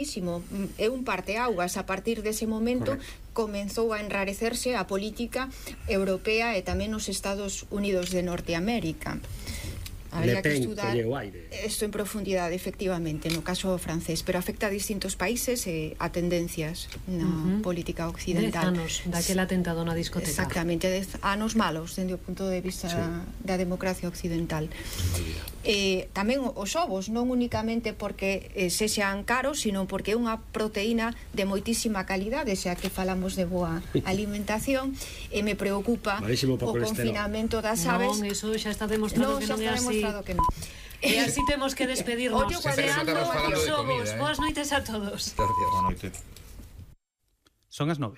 É un parteaugas. A partir dese momento comenzou a enrarecerse a política europea e tamén os Estados Unidos de Norteamérica. Habría que estudar isto en profundidade, efectivamente, no caso francés, pero afecta a distintos países e a tendencias na política occidental. 10 anos daquel atentado na discoteca. Exactamente, 10 anos malos, dende o punto de vista da democracia occidental. Tamén os ovos, non únicamente porque sexan caros, sino porque é unha proteína de moitísima calidade, xa que falamos de boa alimentación, e me preocupa o confinamento das aves. Non, eso xa está demostrado que non é así. Que non. E así temos que despedirnos. Deseando os ovos. Boas noites a todos. Boa noite. Son as 9.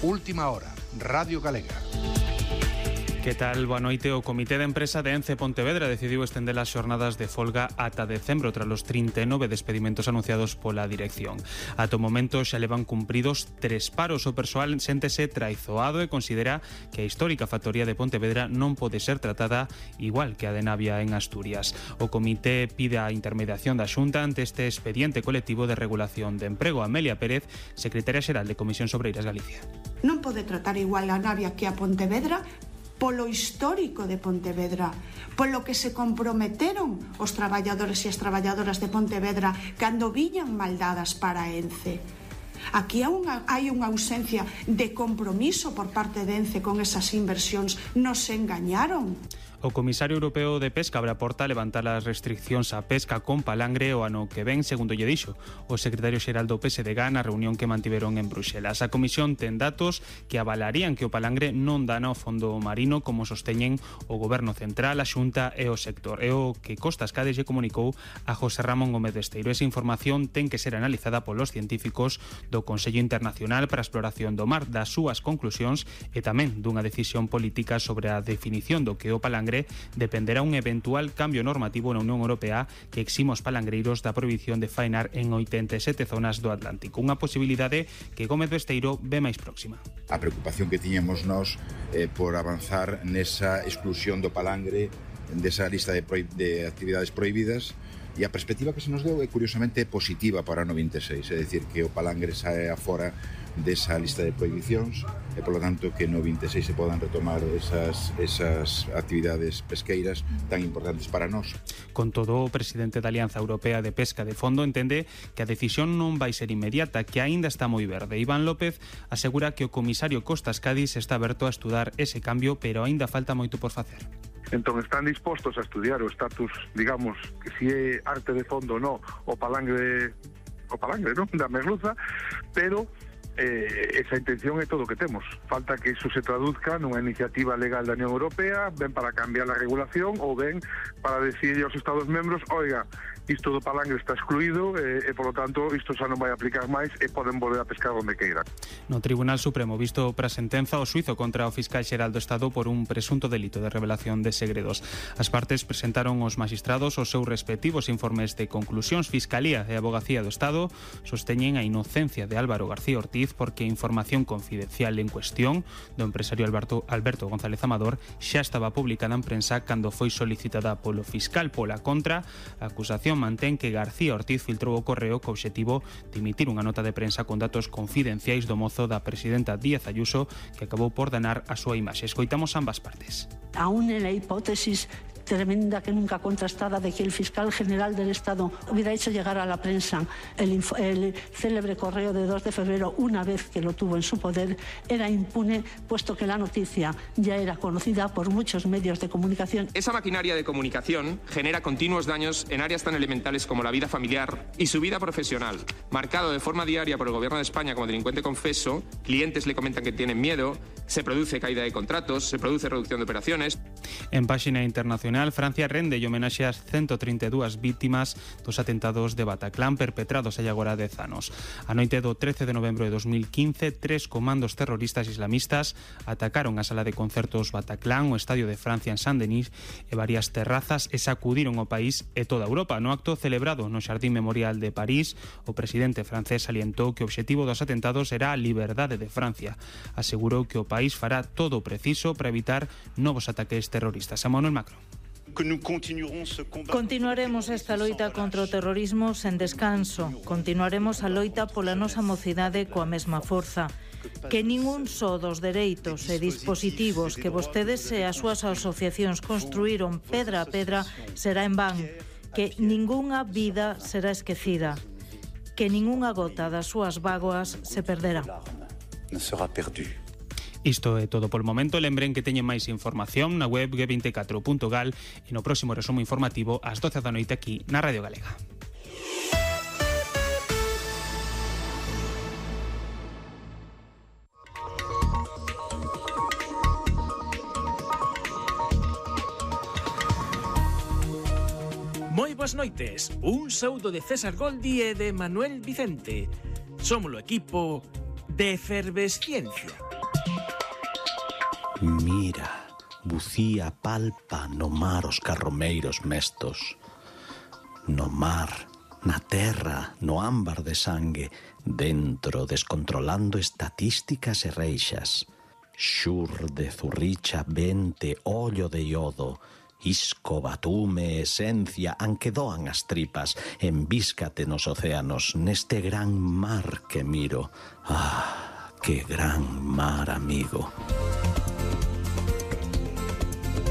Última hora, Radio Galega. Que tal? Boa noite. O Comité de Empresa de Ence Pontevedra decidiu estender as xornadas de folga ata decembro tras os 39 despedimentos anunciados pola dirección. Ata o momento xa levan cumpridos 3 paros. O persoal séntese traizoado e considera que a histórica factoría de Pontevedra non pode ser tratada igual que a de Navia en Asturias. O comité pide a intermediación da Xunta ante este expediente colectivo de regulación de emprego. Amelia Pérez, secretaria xeral de Comisións Obreiras Galicia. Non pode tratar igual a Navia que a Pontevedra polo histórico de Pontevedra, polo que se comprometeron os traballadores e as traballadoras de Pontevedra cando viñan maldadas para Ence. Aquí hai unha ausencia de compromiso por parte de Ence con esas inversións. Nos engañaron. O comisario europeo de pesca abre a porta a levantar as restriccións á pesca con palangre o ano que ven, segundo lle dixo o secretario xeral do PSDG na reunión que mantiveron en Bruxelas. A comisión ten datos que avalarían que o palangre non dana ao fondo marino como sosteñen o goberno central, a Xunta e o sector. É o que Costas Cades lle comunicou a José Ramón Gómez Besteiro. Esa información ten que ser analizada polos científicos do Consello Internacional para a Exploración do Mar, das súas conclusións e tamén dunha decisión política sobre a definición do que o palangre dependerá un eventual cambio normativo na Unión Europea que exime os palangreiros da prohibición de faenar en 87 zonas do Atlántico. Unha posibilidade que Gómez Besteiro ve máis próxima. A preocupación que tiñamos nós por avanzar nesa exclusión do palangre desa lista de actividades prohibidas, e a perspectiva que se nos deu é curiosamente positiva para o 96, é dicir, que o palangre sae afora desa lista de prohibicións e, polo tanto, que no 26 se podan retomar esas actividades pesqueiras tan importantes para nós. Con todo, o presidente da Alianza Europea de Pesca de Fondo entende que a decisión non vai ser inmediata, que aínda está moi verde. Iván López asegura que o comisario Costas Cádiz está aberto a estudar ese cambio, pero aínda falta moito por facer. Entón están dispostos a estudiar o estatus, digamos, que si é arte de fondo ou non, o palangre non, da merluza, pero esa intención é todo o que temos. Falta que iso se traduzca nunha iniciativa legal da Unión Europea, ben para cambiar a regulación ou ben para decir aos Estados membros, oiga, isto do palangre está excluído e, polo tanto, isto xa non vai aplicar máis e poden volver a pescar onde queiran. No Tribunal Supremo, visto para sentenza o suizo contra o fiscal xeral do Estado por un presunto delito de revelación de segredos. As partes presentaron os magistrados os seus respectivos informes de conclusións. Fiscalía e Abogacía do Estado sosteñen a inocencia de Álvaro García Ortiz porque a información confidencial en cuestión do empresario Alberto González Amador xa estaba publicada en prensa cando foi solicitada polo fiscal. Pola contra, a acusación mantén que García Ortiz filtrou o correo co obxectivo de emitir unha nota de prensa con datos confidenciais do mozo da presidenta Díaz Ayuso que acabou por danar a súa imaxe. Escoitamos ambas partes. Aún en la hipótesis tremenda que nunca contrastada de que el fiscal general del Estado hubiera hecho llegar a la prensa el célebre correo de 2 de febrero una vez que lo tuvo en su poder, era impune, puesto que la noticia ya era conocida por muchos medios de comunicación. Esa maquinaria de comunicación genera continuos daños en áreas tan elementales como la vida familiar y su vida profesional. Marcado de forma diaria por el Gobierno de España como delincuente confeso, clientes le comentan que tienen miedo, se produce caída de contratos, se produce reducción de operaciones. En páxina internacional, Francia rende e homenaxe ás 132 vítimas dos atentados de Bataclan perpetrados hai agora 10 anos. A noite do 13 de novembro de 2015, 3 comandos terroristas islamistas atacaron a sala de concertos Bataclan, o Estadio de Francia en Saint-Denis e varias terrazas e sacudiron o país e toda Europa. No acto celebrado no Xardín Memorial de París, o presidente francés salientou que o obxectivo dos atentados era a liberdade de Francia. Asegurou que o país fará todo o preciso para evitar novos ataques terroristas. A Manuel Macron. Continuaremos esta loita contra o terrorismo sen descanso. Continuaremos a loita pola nosa mocidade coa mesma forza. Que ningún só dos dereitos e dispositivos que vostedes e as súas asociacións construíron pedra a pedra será en van. Que ningunha vida será esquecida. Que ningunha gota das súas bágoas se perderá. Isto é todo polo momento. Lembren que teñen máis información na web g24.gal e no próximo resumo informativo ás 12 da noite aquí na Radio Galega. Moi boas noites. Un saúdo de César Goldi e de Manuel Vicente. Somos o equipo de Efervesciencia. Mira, bucía palpa no mar os carromeiros mestos. No mar, na terra, no ámbar de sangue, dentro descontrolando estatísticas e reixas. Xur de zurricha, vente, ollo de iodo, isco, batume, esencia, anque doan as tripas, envíscate nos océanos, neste gran mar que miro. Ah, que gran mar, amigo.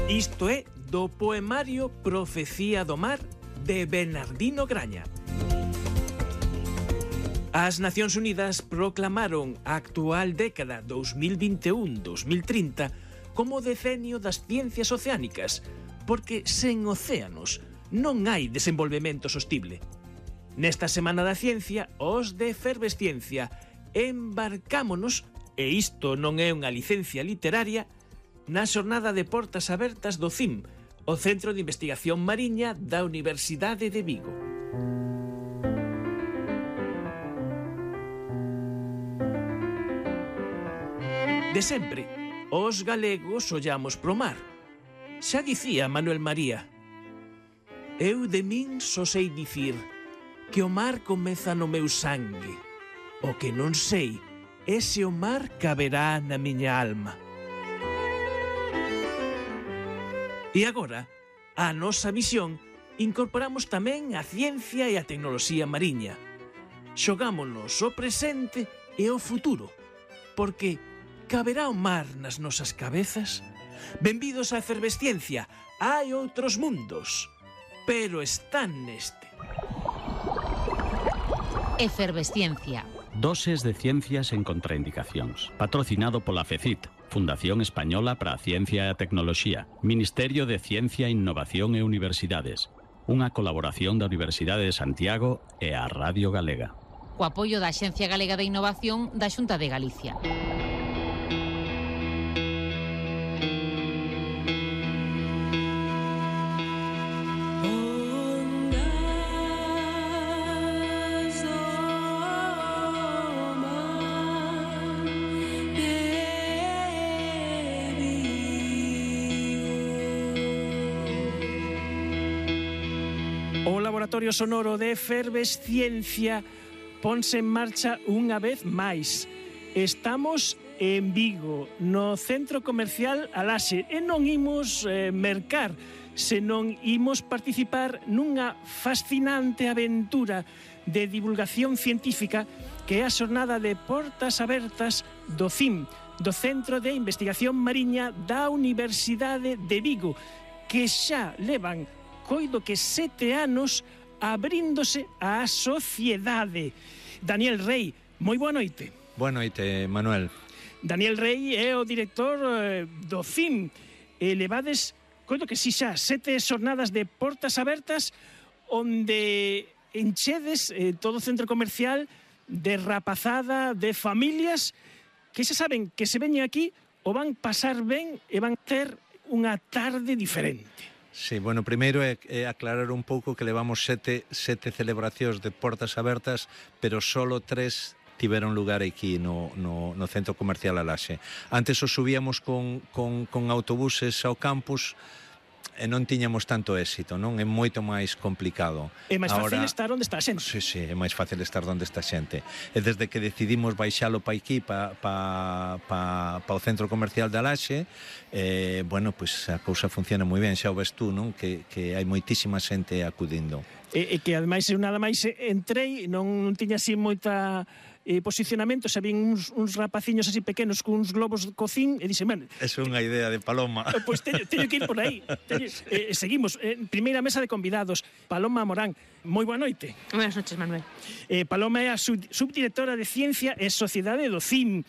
Isto é do poemario Profecía do Mar de Bernardino Graña. As Nacións Unidas proclamaron a actual década 2021-2030 como decenio das ciencias oceánicas, porque sen océanos non hai desenvolvemento sostible. Nesta Semana da Ciencia, os de Efervesciencia embarcámonos, e isto non é unha licencia literaria, na xornada de portas abertas do CIM, o Centro de Investigación Mariña da Universidade de Vigo. De sempre, os galegos ollamos pro mar. Xa dicía Manuel María: eu de min só sei dicir que o mar comeza no meu sangue. O que non sei é se o mar caberá na miña alma. E agora, a nosa visión, incorporamos tamén a ciencia e a tecnoloxía mariña. Xogámonos o presente e o futuro, porque caberá o mar nas nosas cabezas? Benvidos á Efervesciencia, hai outros mundos, pero están neste. Efervesciencia. Doses de ciencias en contraindicacións. Patrocinado pola FECIT, Fundación Española para a Ciencia e a Tecnoloxía, Ministerio de Ciencia, Innovación e Universidades. Unha colaboración da Universidade de Santiago e a Radio Galega. Co apoio da Axencia Galega de Innovación da Xunta de Galicia. O Laboratorio Sonoro de Efervesciencia ponse en marcha unha vez máis. Estamos en Vigo, no centro comercial Alaxe, e non imos mercar, senón imos participar nunha fascinante aventura de divulgación científica que é a xornada de portas abertas do CIM, do Centro de Investigación Mariña da Universidade de Vigo, que xa levan coido que 7 anos abríndose á sociedade. Daniel Rey, moi boa noite. Boa noite, Manuel. Daniel Rey é o director do CIM. Levades, coido que si xa, 7 xornadas de portas abertas onde enchedes todo o centro comercial de rapazada, de familias que xa saben que se veñen aquí o van pasar ben e van ter unha tarde diferente. Sí, bueno, primeiro é aclarar un pouco que levamos sete celebracións de portas abertas, pero solo 3 tiveron lugar aquí no centro comercial Alaxe. Antes os subíamos con autobuses ao campus, non tiñamos tanto éxito, non? É moito máis complicado. É máis fácil estar onde está a xente. Sí, é máis fácil estar onde está a xente. E desde que decidimos baixalo pa aquí, pa o centro comercial de Alaxe, bueno, pois a cousa funciona moi ben, xa o ves tú, non? Que hai moitísima xente acudindo. E que ademais eu nada máis entrei, non tiña así moita posicionamento, xa vin uns rapaciños así pequenos con uns globos de cocín e dixen, man, é unha idea de Paloma. Pois teño que ir por aí. Seguimos, primeira mesa de convidados, Paloma Morán. Moi boa noite. Buenas noches, Manuel. Paloma é a subdirectora de Ciencia e Sociedade do CIM.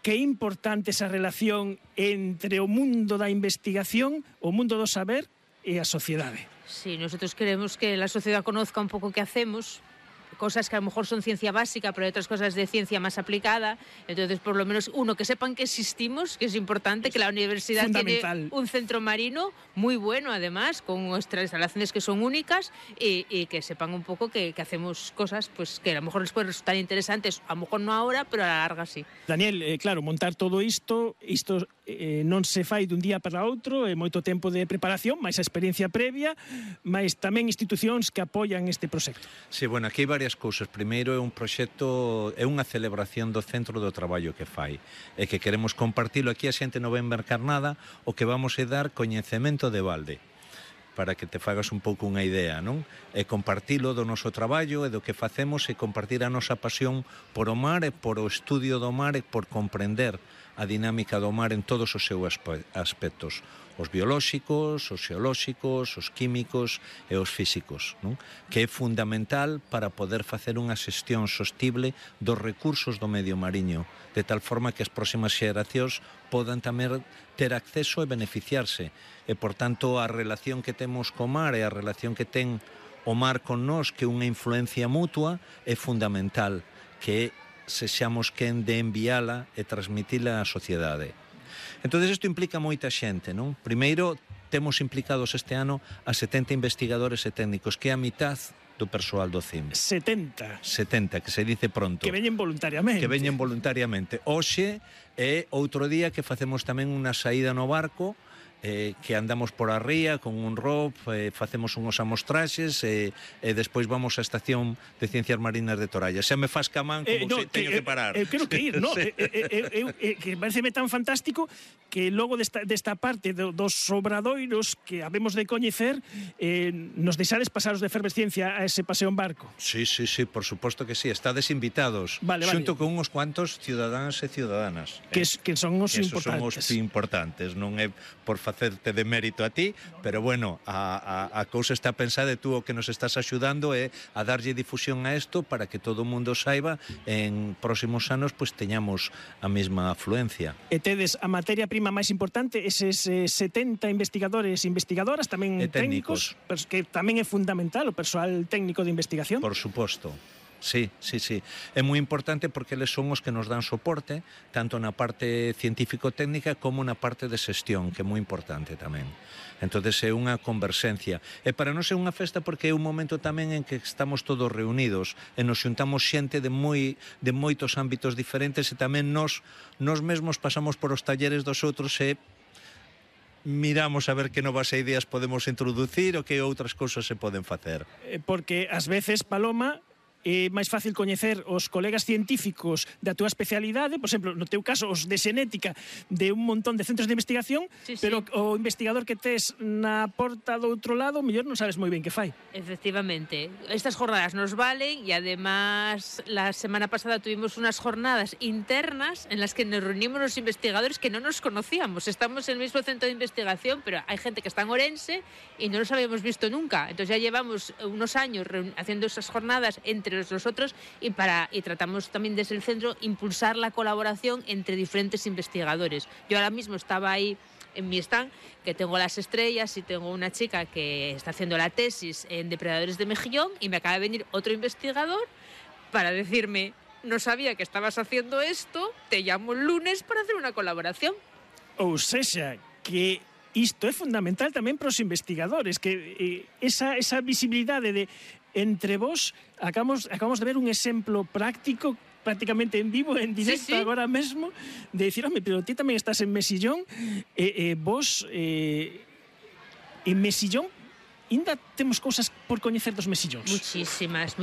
Que importante esa relación entre o mundo da investigación, o mundo do saber e a sociedade. Sí, nosotros queremos que la sociedad conozca un poco qué hacemos, cosas que a lo mejor son ciencia básica, pero hay otras cosas de ciencia más aplicada. Entonces, por lo menos, que sepan que existimos, que es importante, que la universidad tiene un centro marino muy bueno, además, con nuestras instalaciones que son únicas, y que sepan un poco que hacemos cosas pues que a lo mejor les pueden resultar interesantes, a lo mejor no ahora, pero a la larga sí. Daniel, claro, montar todo isto non se fai dun día para outro, é moito tempo de preparación, máis a experiencia previa, máis tamén institucións que apoian este proxecto. Sí, bueno, aquí hai varias cousas. Primeiro é un proxecto, é unha celebración do centro do traballo que fai, e que queremos compartilo. Aquí a xente non vai mercar nada, o que vamos é dar coñecemento de balde, para que te fagas un pouco unha idea, non? E compartilo do noso traballo e do que facemos, e compartir a nosa pasión por o mar e por o estudio do mar e por comprender a dinámica do mar en todos os seus aspectos, os biolóxicos, os xeolóxicos, os químicos e os físicos, non? Que é fundamental para poder facer unha xestión sostible dos recursos do medio mariño, de tal forma que as próximas xeracións podan tamén ter acceso e beneficiarse. E, por tanto, a relación que temos co mar e a relación que ten o mar con nós, que é unha influencia mutua, é fundamental, que sexamos quen de enviala e transmitila á sociedade. Entón, isto implica moita xente, non? Primeiro, temos implicados este ano a 70 investigadores e técnicos, que é a mitad do persoal do CIM. 70, que se dice pronto. Que veñen voluntariamente. Hoxe é outro día que facemos tamén unha saída no barco, que andamos por a ría con un rob, facemos unhos amostraxes e despois vamos á estación de Ciencias Marinas de Toralla. Xa me faz camán como teño que parar. Eu quero que ir, non? Que pareceme tan fantástico que logo desta parte dos obradoiros que habemos de coñecer, nos deixades pasar os de efervesciencia a ese paseo en barco. Sí, por suposto que sí, estades invitados, xunto con uns cuantos cidadáns e ciudadanas. Que son os importantes. Esos son os importantes, non é por facerte de mérito a ti, pero bueno, a cousa está pensada e tú o que nos estás axudando é a darlle difusión a isto para que todo o mundo saiba en próximos anos pues teñamos a mesma afluencia. E tedes a materia prima máis importante, eses 70 investigadores e investigadoras, tamén técnicos, que tamén é fundamental o persoal técnico de investigación. Por suposto. Sí. É moi importante porque eles son os que nos dan soporte, tanto na parte científico-técnica como na parte de xestión, que é moi importante tamén. Entón, é unha converxencia. E para nós é unha festa porque é un momento tamén en que estamos todos reunidos e nos xuntamos xente de moitos ámbitos diferentes, e tamén nós mesmos pasamos por os talleres dos outros e miramos a ver que novas ideas podemos introducir ou que outras cousas se poden facer. Porque ás veces, Paloma, é máis fácil coñecer os colegas científicos da túa especialidade, por exemplo, no teu caso, os de xenética de un montón de centros de investigación, pero o investigador que tes na porta do outro lado, mellor non sabes moi ben que fai. Efectivamente. Estas jornadas nos valen, e además la semana pasada tuvimos unas jornadas internas en las que nos reunimos los investigadores que no nos conocíamos. Estamos en el mismo centro de investigación, pero hay gente que está en Orense y no nos habíamos visto nunca. Entonces ya llevamos unos años haciendo esas jornadas entre nosotros y tratamos también desde el centro impulsar la colaboración entre diferentes investigadores. Yo ahora mismo estaba ahí en mi stand, que tengo las estrellas y tengo una chica que está haciendo la tesis en depredadores de mejillón, y me acaba de venir otro investigador para decirme: no sabía que estabas haciendo esto, te llamo el lunes para hacer una colaboración. Ou sexa, que isto é fundamental tamén para os investigadores, que esa visibilidade de entre vos, acabamos de ver un exemplo práctico, prácticamente en vivo, en directo, agora mesmo, de dicir, home, pero ti tamén estás en Mesillón, vos En Mexillón ainda temos cousas por coñecer dos mexillóns. Muchísimas.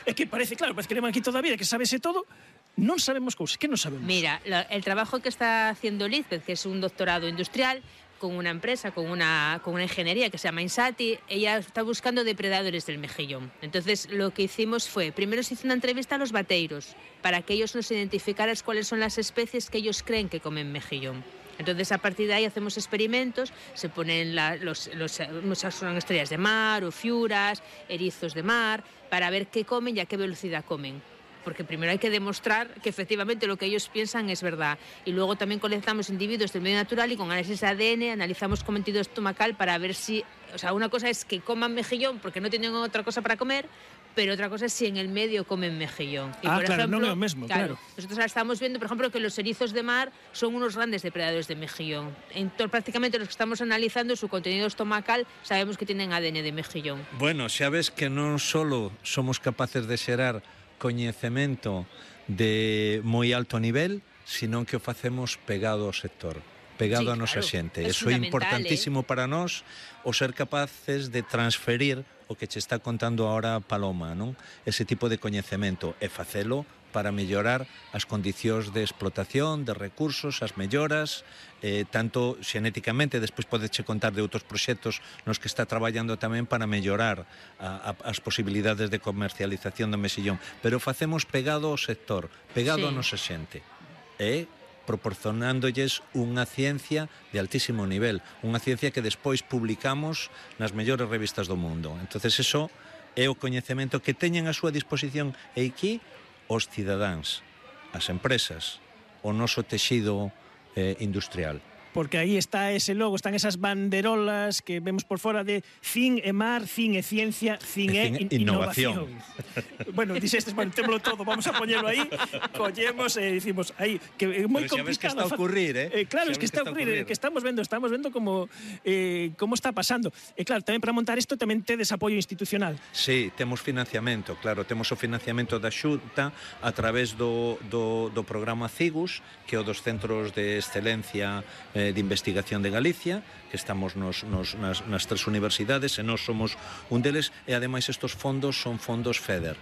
É que parece, claro, parece que leva aquí toda a vida, que sabese todo, non sabemos cousas. Que non sabemos? Mira, el trabajo que está haciendo Lizbeth, que es un doctorado industrial, con una empresa, con una ingeniería que se llama Insati, ella está buscando depredadores del mejillón. Entonces, lo que hicimos fue, primero se hizo una entrevista a los bateiros, para que ellos nos identificaran cuáles son las especies que ellos creen que comen mejillón. Entonces, a partir de ahí hacemos experimentos, se ponen muchas son estrellas de mar, o fiuras, erizos de mar, para ver qué comen y a qué velocidad comen. Porque primero hay que demostrar que efectivamente lo que ellos piensan es verdad. Y luego también colectamos individuos del medio natural y con análisis de ADN analizamos contenido estomacal para ver si... O sea, una cosa es que coman mejillón porque no tienen otra cosa para comer, pero otra cosa es si en el medio comen mejillón. Y por claro, ejemplo, non é o mesmo, claro. Nosotros ahora estamos viendo, por ejemplo, que los erizos de mar son unos grandes depredadores de mejillón. Prácticamente los que estamos analizando, su contenido estomacal, sabemos que tienen ADN de mejillón. Bueno, xa ves que non solo somos capaces de xerar coñecemento de moi alto nivel, sino que o facemos pegado ao sector, pegado a nosa xente. Eso é importantísimo para nós, o ser capaces de transferir o que che está contando ahora Paloma, non? Ese tipo de coñecemento e facelo para mellorar as condicións de explotación, de recursos, as melloras, tanto xenéticamente, despois podeche contar de outros proxectos nos que está traballando tamén para mellorar as posibilidades de comercialización do mexillón, pero facemos pegado ao sector, pegado a nosa xente, proporcionándolles unha ciencia de altísimo nivel, unha ciencia que despois publicamos nas mellores revistas do mundo. Entonces, eso é o coñecemento que teñen a súa disposición e aquí os cidadáns, as empresas, o noso texido industrial. Porque aí está ese logo, están esas banderolas que vemos por fora de CIN e mar, CIN e ciencia, CIN e innovación. Bueno, dixestes, bueno, témolo todo, vamos a poñelo aí, collemos e dicimos aí, que é moi complicado. Pero xa ves que está a ocurrir, Claro, es que está a ocurrir, que estamos vendo como está pasando. E claro, tamén para montar isto tamén tedes apoio institucional. Sí, temos financiamento, claro, temos o financiamento da Xunta a través do programa CIGUS, que é o dos Centros de Excelencia de Investigación de Galicia, que estamos nas tres universidades e nós somos un deles, e ademais estos fondos son fondos FEDER.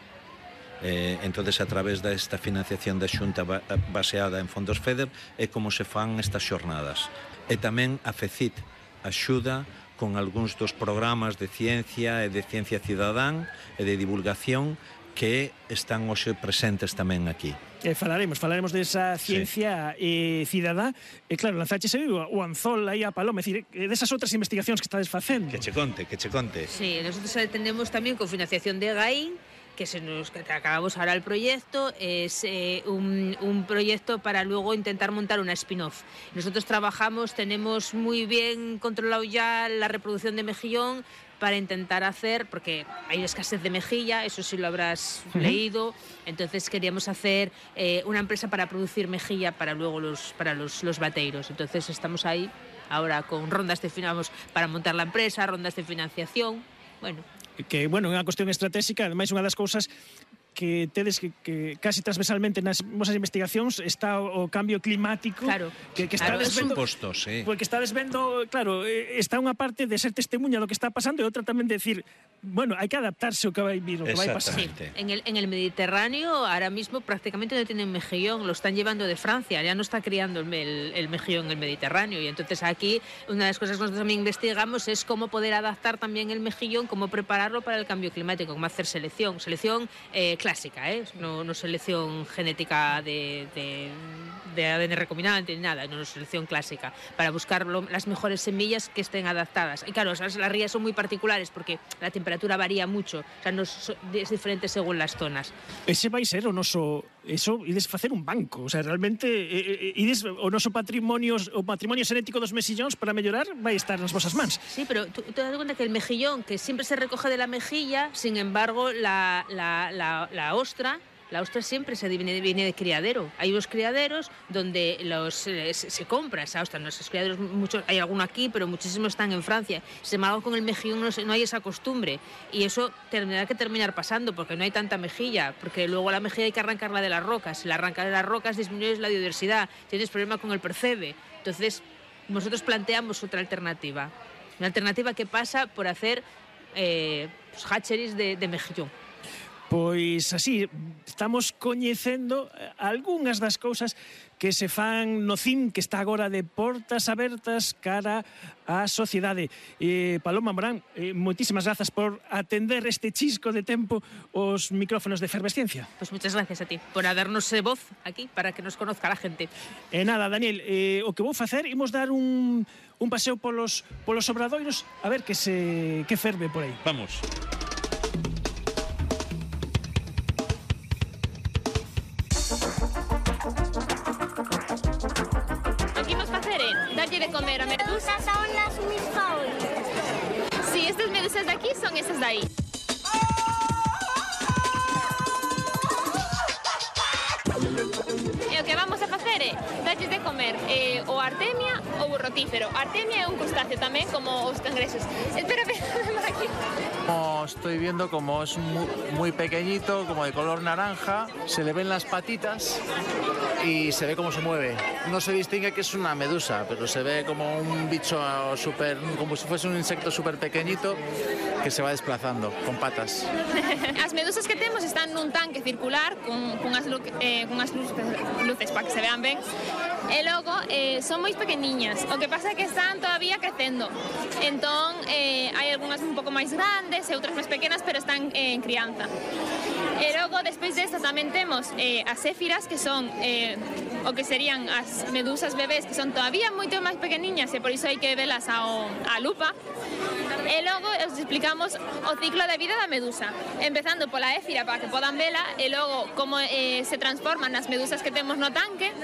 Entonces, a través desta financiación da Xunta baseada en fondos FEDER é como se fan estas xornadas. E tamén a FECIT axuda con algúns dos programas de ciencia e de ciencia cidadán e de divulgación que están hoxe presentes tamén aquí. Falaremos desa ciencia cidadá. E claro, lanzaches o anzol aí a Paloma, é dicir, desas outras investigacións que estades facendo. Que che conte. Sí, nosotros atendemos tamén con financiación de GAIN, que acabamos ahora el proyecto, es un proyecto para luego intentar montar una spin-off. Nosotros tenemos muy bien controlado ya la reproducción de mejillón para intentar hacer, porque hay escasez de mejilla, eso sí lo habrás leído, entonces queríamos hacer una empresa para producir mejilla para luego los bateiros. Entonces estamos ahí ahora con rondas para montar la empresa, rondas de financiación, bueno. Que, bueno, é unha cuestión estratégica, ademais unha das cousas que tedes que casi transversalmente nas vosas investigacións está o cambio climático, claro, que estades vendo, porque estades vendo, claro, está unha parte de ser testemunha do que está pasando e outra tamén de decir, bueno, hai que adaptarse ao que vai vir, o que vai pasar. Sí. En el Mediterráneo ahora mismo prácticamente no tienen mejillón, lo están llevando de Francia, ya no está criando el mejillón en el Mediterráneo, y entonces aquí una de las cosas que nosotros también investigamos es cómo poder adaptar también el mejillón, cómo prepararlo para el cambio climático, cómo hacer selección clásica, no selección genética de ADN recombinante ni nada, no selección clásica, para buscar las mejores semillas que estén adaptadas. Y claro, las rías son muy particulares porque la temperatura varía mucho, o sea, es diferente según las zonas. Ese vai ser o noso, eso, ides facer un banco, o sea, realmente ides o noso patrimonio xenético dos mexillóns para mellorar vai estar nas vosas mans. Sí, pero tú te das cuenta que el mejillón, que siempre se recoge de la mejilla, sin embargo, la ostra siempre viene de criadero. Hay unos criaderos donde se compra esa ostra. Nuestros criaderos, muchos, hay alguno aquí, pero muchísimos están en Francia. Sin embargo, con el mejillón no hay esa costumbre. Y eso tendrá que terminar pasando, porque no hay tanta mejilla. Porque luego la mejilla hay que arrancarla de las rocas. Si la arrancas de las rocas, disminuyes la biodiversidad. Tienes problema con el percebe. Entonces, nosotros planteamos otra alternativa. Unha alternativa que pasa por hacer hatcheries de mexillón. Pois así, estamos coñecendo algunhas das cousas que se fan no CIM, que está agora de portas abertas cara á sociedade. Paloma Morán, moitísimas grazas por atender este chisco de tempo os micrófonos de Efervesciencia. Pois muchas gracias a ti por darnos voz aquí para que nos conozca a gente. E nada, Daniel, o que vou facer, imos dar un paseo polos obradoiros a ver que ferve por aí. Vamos. Darle de comer a medusas son las mis favoritas. Sí, estas medusas de aquí son esas de ahí. E o que vamos a facer é darles de comer o artemia ou o rotífero. Artemia é un crustáceo tamén, como os cangrexos. Espérame, por aquí. Estoy viendo como es muy pequeñito, como de color naranja, se le ven las patitas y se ve cómo se mueve. No se distingue que es una medusa, pero se ve como un bicho como si fuese un insecto súper pequeñito que se va desplazando con patas. As medusas que temos están nun tanque circular con as luces para que se vean ben. E logo son moi pequeniñas. O que pasa é que están todavía crecendo. Entón hai algunhas un pouco máis grandes e outras máis pequenas, pero están en crianza. E logo, despois desta, tamén temos as éfiras, que son o que serían as medusas bebés, que son todavía moito máis pequeniñas e por iso hai que velas á lupa. E logo os explicamos o ciclo de vida da medusa, empezando pola éfira para que podan vela, e logo como se transforman as medusas que temos no tanque,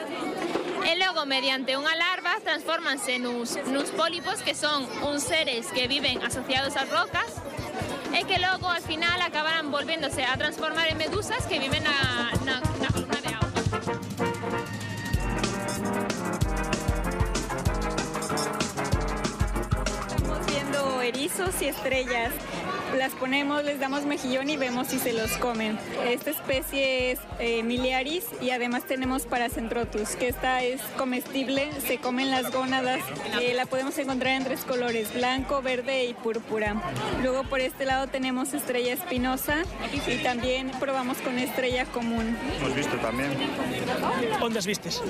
e logo mediante unha larva transformanse nuns pólipos, que son uns seres que viven asociados ás rocas, e que logo al final acabarán volvéndose a transformar en medusas que viven na columna de agua. Estamos viendo erizos y estrellas. Las ponemos, les damos mejillón y vemos si se los comen. Esta especie es Miliaris y además tenemos Paracentrotus, que esta es comestible, se comen las gónadas. La podemos encontrar en 3 colores, blanco, verde y púrpura. Luego por este lado tenemos estrella espinosa y también probamos con estrella común. Hemos visto también. ¿Dónde has vistes?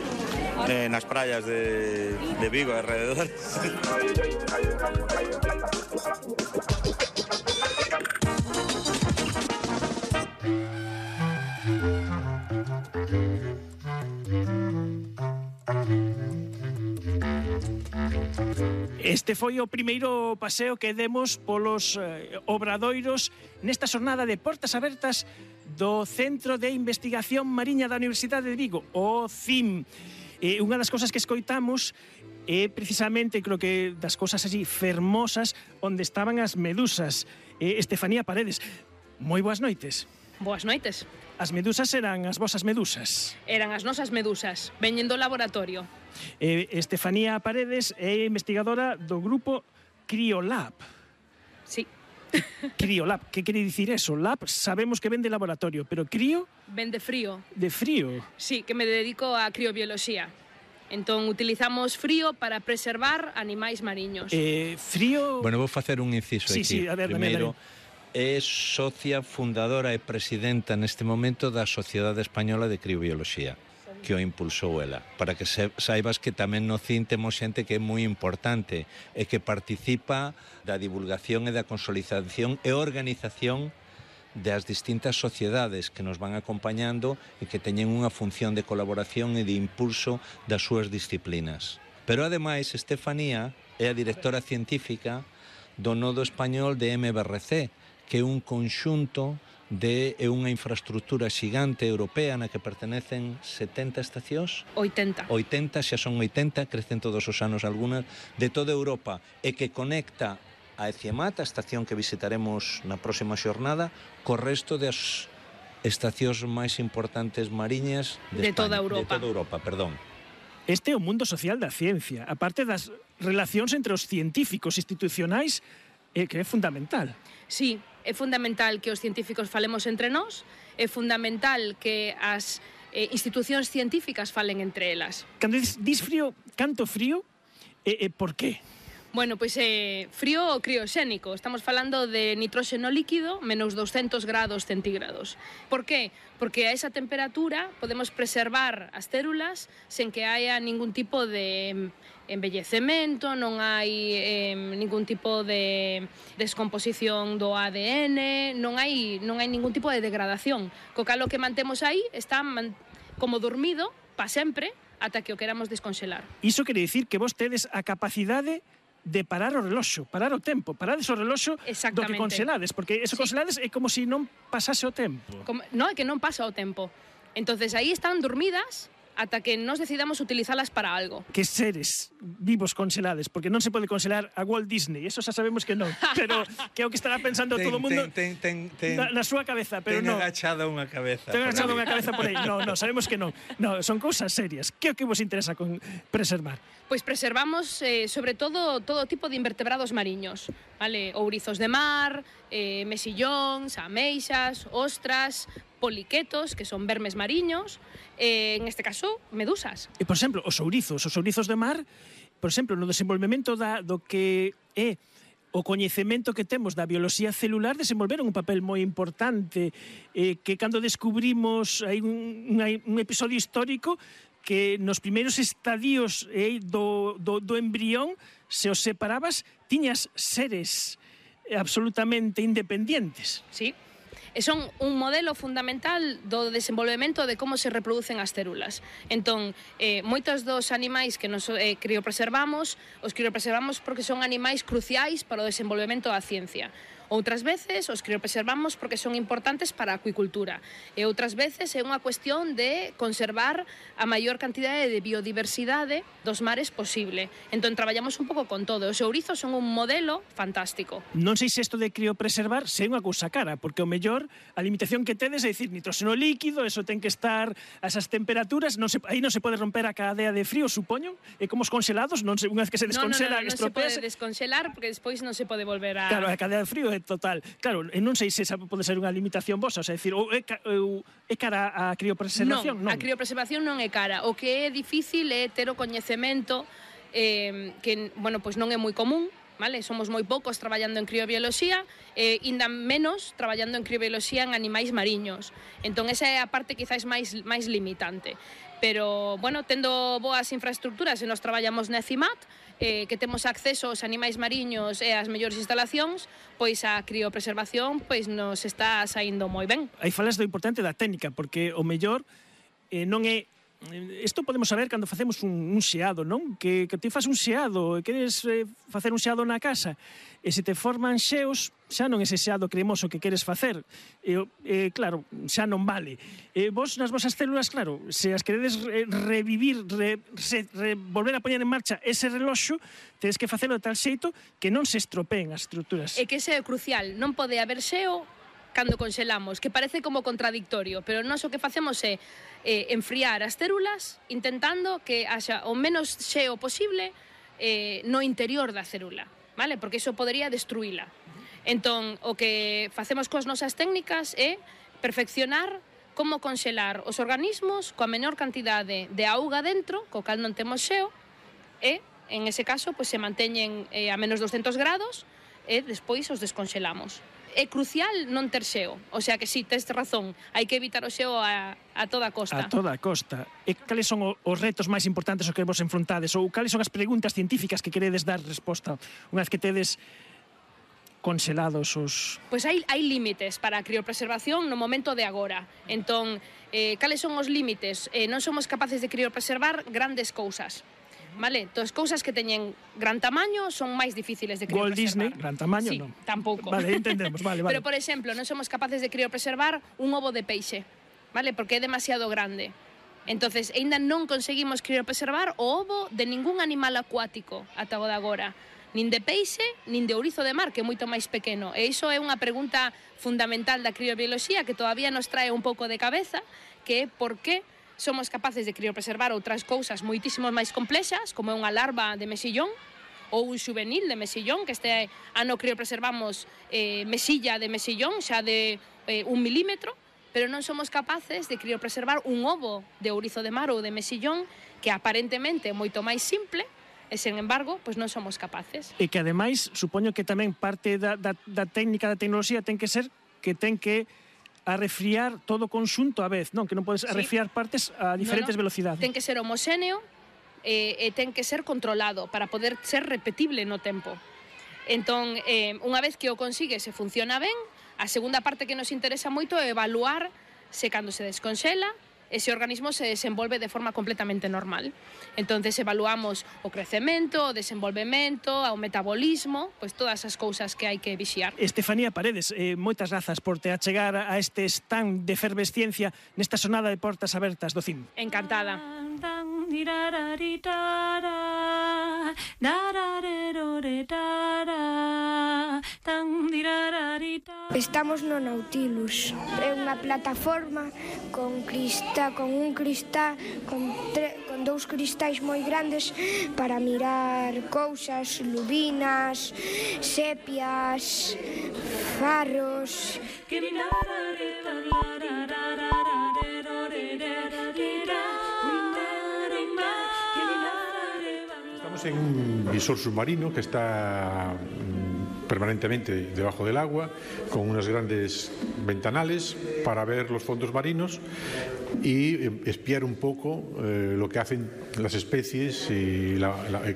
En las playas de Vigo, alrededor. Este foi o primeiro paseo que demos polos obradoiros nesta xornada de portas abertas do Centro de Investigación Mariña da Universidade de Vigo, o CIM. Unha das cousas que escoitamos é precisamente, creo que das cousas así fermosas, onde estaban as medusas. Estefanía Paredes, moi boas noites. Boas noites. As medusas eran as vosas medusas? Eran as nosas medusas, veñen do laboratorio. Estefanía Paredes é investigadora do grupo Criolab. Sí. Criolab, que quere dicir eso? Lab sabemos que ven de laboratorio, pero crío? Ven de frío. De frío? Sí, que me dedico a criobioloxía. Entón, utilizamos frío para preservar animais mariños. Frío... Bueno, vou facer un inciso aquí. Sí, a ver, primeiro, é socia fundadora e presidenta neste momento da Sociedade Española de Criobioloxía, que o impulsou ela. Para que saibas que tamén no CIN temos xente que é moi importante e que participa da divulgación e da consolidación e organización das distintas sociedades que nos van acompañando e que teñen unha función de colaboración e de impulso das súas disciplinas. Pero, ademais, Estefanía é a directora científica do Nodo Español de MBRC, que é un conxunto é unha infraestructura xigante europea na que pertenecen 70 estacións? 80. 80, xa son 80, crecen todos os anos algunhas, de toda Europa, e que conecta a Eciamat, a estación que visitaremos na próxima xornada, co resto das estacións máis importantes mariñas de toda Europa. De toda Europa, perdón. Este é o mundo social da ciencia, aparte das relacións entre os científicos institucionais, que é fundamental. Sí, é fundamental que os científicos falemos entre nós, é fundamental que as institucións científicas falen entre elas. Cando dis frío, canto frío, por qué? Bueno, pois frío crioxénico. Estamos falando de nitróxeno líquido menos 200 grados centígrados. Por qué? Porque a esa temperatura podemos preservar as células sen que haya ningún tipo de envellecemento, non hai ningún tipo de descomposición do ADN, non hai ningún tipo de degradación. Co cal o que mantemos aí está como dormido pa sempre ata que o queramos desconxelar. Iso quere dicir que vos tedes a capacidade de parar o reloxo, parar o tempo, parades o reloxo do que conxelades, porque eso conxelades é como se non pasase o tempo. Non, é que non pasa o tempo. Entonces aí están dormidas ata que nos decidamos utilizalas para algo. Que seres vivos conxelades, porque non se pode conxelar a Walt Disney, eso xa sabemos que non, pero que é o que estará pensando todo o mundo na súa cabeza, pero non. Ten agachada unha cabeza. Ten agachada unha cabeza por aí, non, sabemos que non. Non, son cousas serias. Que é o que vos interesa con preservar? Pois preservamos, sobre todo tipo de invertebrados mariños, vale? Ourizos de mar, mexillóns, ameixas, ostras, poliquetos, que son vermes mariños, en este caso, medusas. E, por exemplo, os ourizos de mar, por exemplo, no desenvolvemento do que é o coñecemento que temos da bioloxía celular, desenvolveron un papel moi importante, que cando descubrimos hai un episodio histórico que nos primeiros estadios do embrión, se os separabas, tiñas seres absolutamente independientes. Sí. E son un modelo fundamental do desenvolvemento de como se reproducen as células. Entón, moitos dos animais que nos criopreservamos, os criopreservamos porque son animais cruciais para o desenvolvemento da ciencia. Outras veces os criopreservamos porque son importantes para a acuicultura e outras veces é unha cuestión de conservar a maior cantidade de biodiversidade dos mares posible. Entón traballamos un pouco con todo. Os ourizos son un modelo fantástico. Non sei se isto de criopreservar se é unha cousa cara, porque o mellor a limitación que tedes é dicir nitróxeno líquido, eso ten que estar a esas temperaturas, aí non se pode romper a cadea de frío, supoño, e como os congelados, unha vez que se descongela, non se pode descongelar porque despois non se pode volver a... Claro, a cadea de frío é total. Claro, non sei se esa pode ser unha limitación vosa, é dicir, é cara a criopreservación? Non, a criopreservación non é cara. O que é difícil é ter o coñecemento que, bueno, pois non é moi común, vale? Somos moi poucos traballando en criobioloxía e ainda menos traballando en criobioloxía en animais mariños. Entón, esa é a parte quizás máis limitante. Pero, bueno, tendo boas infraestructuras e nos traballamos na CIMAT, que temos acceso aos animais mariños e ás mellores instalacións, pois a criopreservación pois nos está saindo moi ben. Aí falas do importante da técnica, porque o mellor non é... Isto podemos saber cando facemos un xeado, non? Que ti faz un xeado e queres facer un xeado na casa e se te forman xeos, xa non ese xeado cremoso que queres facer. Claro, xa non vale. Vos nas vosas células, claro, se as queredes revivir, volver a poñer en marcha ese reloxo, tedes que facelo de tal xeito que non se estropeen as estruturas. E que ese é crucial, non pode haber xeo cando conxelamos, que parece como contradictorio, pero nós o que facemos é enfriar as células intentando que haxa o menos xeo posible no interior da célula, vale? Porque iso podería destruíla. Entón, o que facemos coas nosas técnicas é perfeccionar como conxelar os organismos coa menor cantidade de auga dentro, co cal non temos xeo, e, en ese caso, pois se manteñen a menos 200 grados e despois os desconxelamos. É crucial non ter xeo, o sea que si, tes razón, hai que evitar o xeo a toda costa. A toda costa. E cales son os retos máis importantes os que vos enfrontades, ou cales son as preguntas científicas que queredes dar resposta unha vez que tedes conxelados os... Pois hai límites para a criopreservación no momento de agora. Entón, cales son os límites? Non somos capaces de criopreservar grandes cousas. Vale? Todas as cousas que teñen gran tamaño son máis difíciles de criopreservar. Walt Disney, gran tamaño, sí, non. Tampouco. Vale, entendemos, vale. Pero, por exemplo, non somos capaces de criopreservar un ovo de peixe, vale? Porque é demasiado grande. Entonces, aínda non conseguimos criopreservar o ovo de ningún animal acuático ata o de agora. Nin de peixe, nin de ourizo de mar, que é moito máis pequeno. E iso é unha pregunta fundamental da criobioloxía que todavía nos trae un pouco de cabeza, que é por que somos capaces de criopreservar outras cousas moitísimo máis complexas, como é unha larva de mexillón ou un xuvenil de mexillón, que este ano criopreservamos mesilla de mexillón, xa de 1 milímetro, pero non somos capaces de criopreservar un ovo de ourizo de mar ou de mexillón, que aparentemente é moito máis simple, E, sen embargo, pois non somos capaces. E que, ademais, supoño que tamén parte da técnica da tecnoloxía ten que ser que ten que arrefriar todo o conxunto a vez, non? Que non podes arrefriar partes a diferentes velocidades. Ten que ser homoxéneo e ten que ser controlado para poder ser repetible no tempo. Entón, unha vez que o consigues e funciona ben, a segunda parte que nos interesa moito é evaluar se cando se desconxela ese organismo se desenvolve de forma completamente normal. Entonces evaluamos o crecemento, o desenvolvemento, o metabolismo, pois todas as cousas que hai que vixiar. Estefanía Paredes, moitas grazas por te achegar a este stand de efervesciencia nesta sonada de portas abertas do CIM. Encantada. Estamos no Nautilus. É unha plataforma con un cristal con dous cristais moi grandes para mirar cousas, lubinas, sepias, farros. Estamos en un visor submarino que está permanentemente debajo del agua, con unos grandes ventanales para ver los fondos marinos y espiar un poco lo que hacen las especies y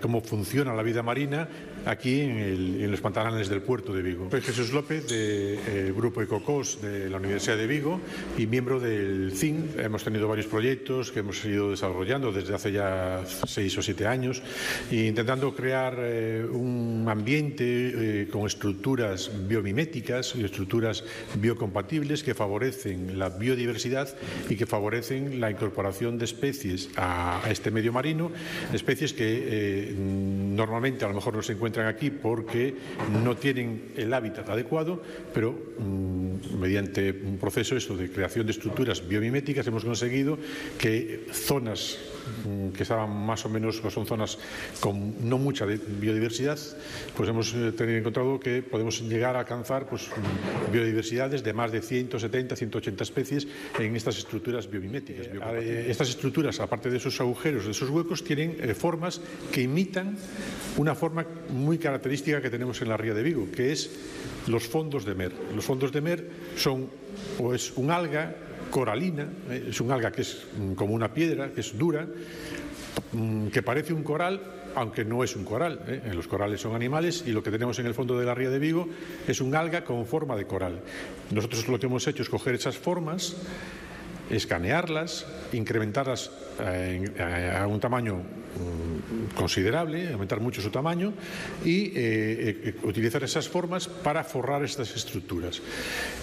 cómo funciona la vida marina aquí en los pantanales del puerto de Vigo. Soy Jesús López, del Grupo Ecocos de la Universidad de Vigo y miembro del CIM. Hemos tenido varios proyectos que hemos ido desarrollando desde hace ya 6 o 7 años, intentando crear un ambiente con estructuras biomiméticas y estructuras biocompatibles que favorecen la biodiversidad y que favorecen la incorporación de especies a este medio marino, especies que normalmente a lo mejor no se encuentran aquí porque no tienen el hábitat adecuado, pero mediante un proceso de creación de estructuras biomiméticas hemos conseguido que zonas que estaban más o menos, o son zonas con no mucha biodiversidad, pues hemos encontrado que podemos llegar a alcanzar biodiversidades de más de 170, 180 especies en estas estructuras biomiméticas. Estas estructuras, aparte de esos agujeros, de esos huecos, tienen formas que imitan una forma muy característica que tenemos en la ría de Vigo, que es los fondos de mer. Los fondos de mer son, o es un alga coralina, es un alga que es como una piedra, que es dura, que parece un coral, aunque no es un coral. Los corales son animales y lo que tenemos en el fondo de la ría de Vigo es un alga con forma de coral. Nosotros lo que hemos hecho es coger esas formas, escanearlas, incrementarlas a un tamaño considerable, aumentar mucho su tamaño y utilizar esas formas para forrar estas estructuras.